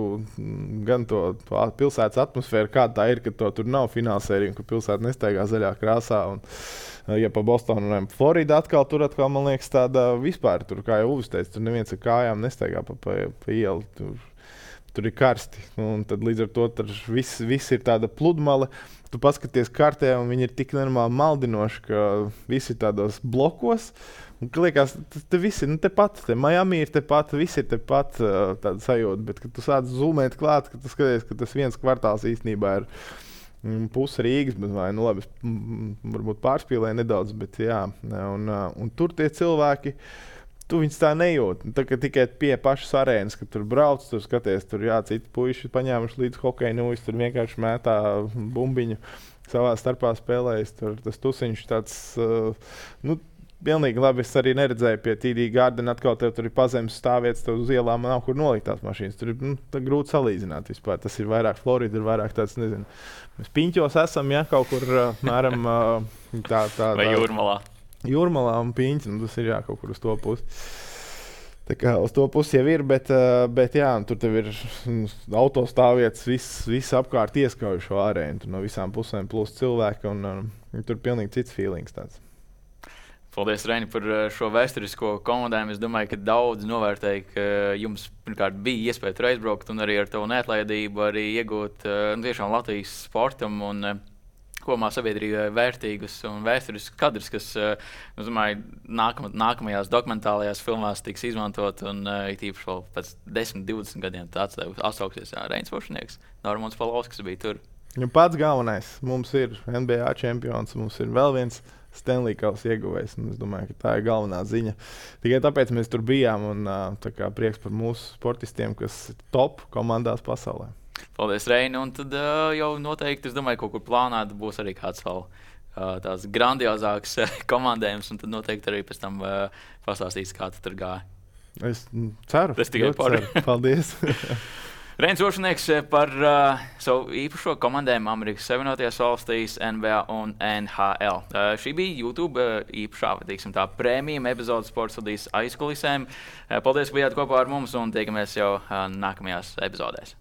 gan to, to pilsētas atmosfēru, kāda tā ir, ka to tur nav finālsērija, ka pilsēta nestaigā zaļā krāsā. Un, ja pa Bostonu un Florida atkal tur atkal, man liekas, tāda vispār, tur, kā jau Uvis teica, tur neviens ar kājām nestaigā pa, pa, pa ielu. Tur, tur ir karsti. Un tad līdz ar to viss, viss ir tāda pludmale. Tu paskaties kartē, un viņi ir tik normāli maldinoši, ka visi ir tādos blokos. Un, liekas, te viss ir nu, tepat, te Miami ir tepat, viss ir tepat uh, tāda sajūta, bet kad tu sāc zoomēt klāt, ka tu skaties, ka tas viens kvartāls īstenībā ir mm, puse Rīgas, bet vai, nu labi, mm, varbūt pārspīlēja nedaudz, bet jā, un, uh, un tur tie cilvēki, tu viņus tā nejūt. Tā, ka tikai pie pašas arēnas, kad tur brauc, tur skaties, tur jā, citi puiši paņēmuši līdz hokeja nūjas, tur vienkārši mētā bumbiņu savā starpā spēlējas, tur tas tusiņš tāds, uh, nu, pilnīgi labi. Es arī neredzēju pie T D Garden, atkal tev tur ir pazemes stāvvietas, tev uz ielām nav kur nolikt tās mašīnas. Tur ir nu, grūti salīdzināt vispār. Tas ir vairāk Florida, ir vairāk tāds, nezinu, mēs Piņķos esam, ja, kaut kur mēram tā, tā, tā. Vai Jūrmalā. Jūrmalā un Piņķi, nu tas ir jā, kaut kur uz to pusi. Tā kā uz to pusi jau ir, bet, bet jā, tur tev ir autostāvvietas, viss, viss apkārt ieskauj šo arēnu. Tur no visām pusēm plus cilvēki un, un tur pilnīgi cits feelings tāds. Paldies, Reini, par šo vēsturisko komandējumu. Es domāju, ka daudz novērtēja, ka jums pirmkārt bija iespēja tur aizbraukt un arī ar tavu neatlaidību arī iegūt nu, tiešām Latvijas sportam un kopumā sabiedrībai vērtīgus un vēsturiskus kadrus, kas, es domāju, nākam, nākamajās dokumentālajās filmās tiks izmantot un it īpaši vēl pēc desmit, divdesmit gadiem atsauksies Reinis Vošnieks, Normons Palovskis bija tur. Ja pats galvenais, mums ir N B A čempions, mums ir vēl viens Stanley Kauss ieguvējs. Es domāju, ka tā ir galvenā ziņa. Tikai tāpēc mēs tur bijām un tā kā prieks par mūsu sportistiem, kas ir top komandās pasaulē. Paldies, Reini. Un tad uh, jau noteikti, es domāju, kaut kur plānāta būs arī kāds vēl uh, tās grandiozāks komandējums, un tad noteikti arī pēc tam uh, pastāstīs, kā tu tur gāja. Es ceru. Es tikai paru. Paldies. Reinis Vošnieks par uh, savu īpašo komandējumu Amerikas Savienotajās valstīs, N B A un N H L. Uh, šī bija YouTube uh, īpašā, teiksim tā, prēmijuma epizode Sports studijas aizkulisēm. Uh, paldies, ka bijāt kopā ar mums un tiekamies jau uh, nākamajās epizodēs.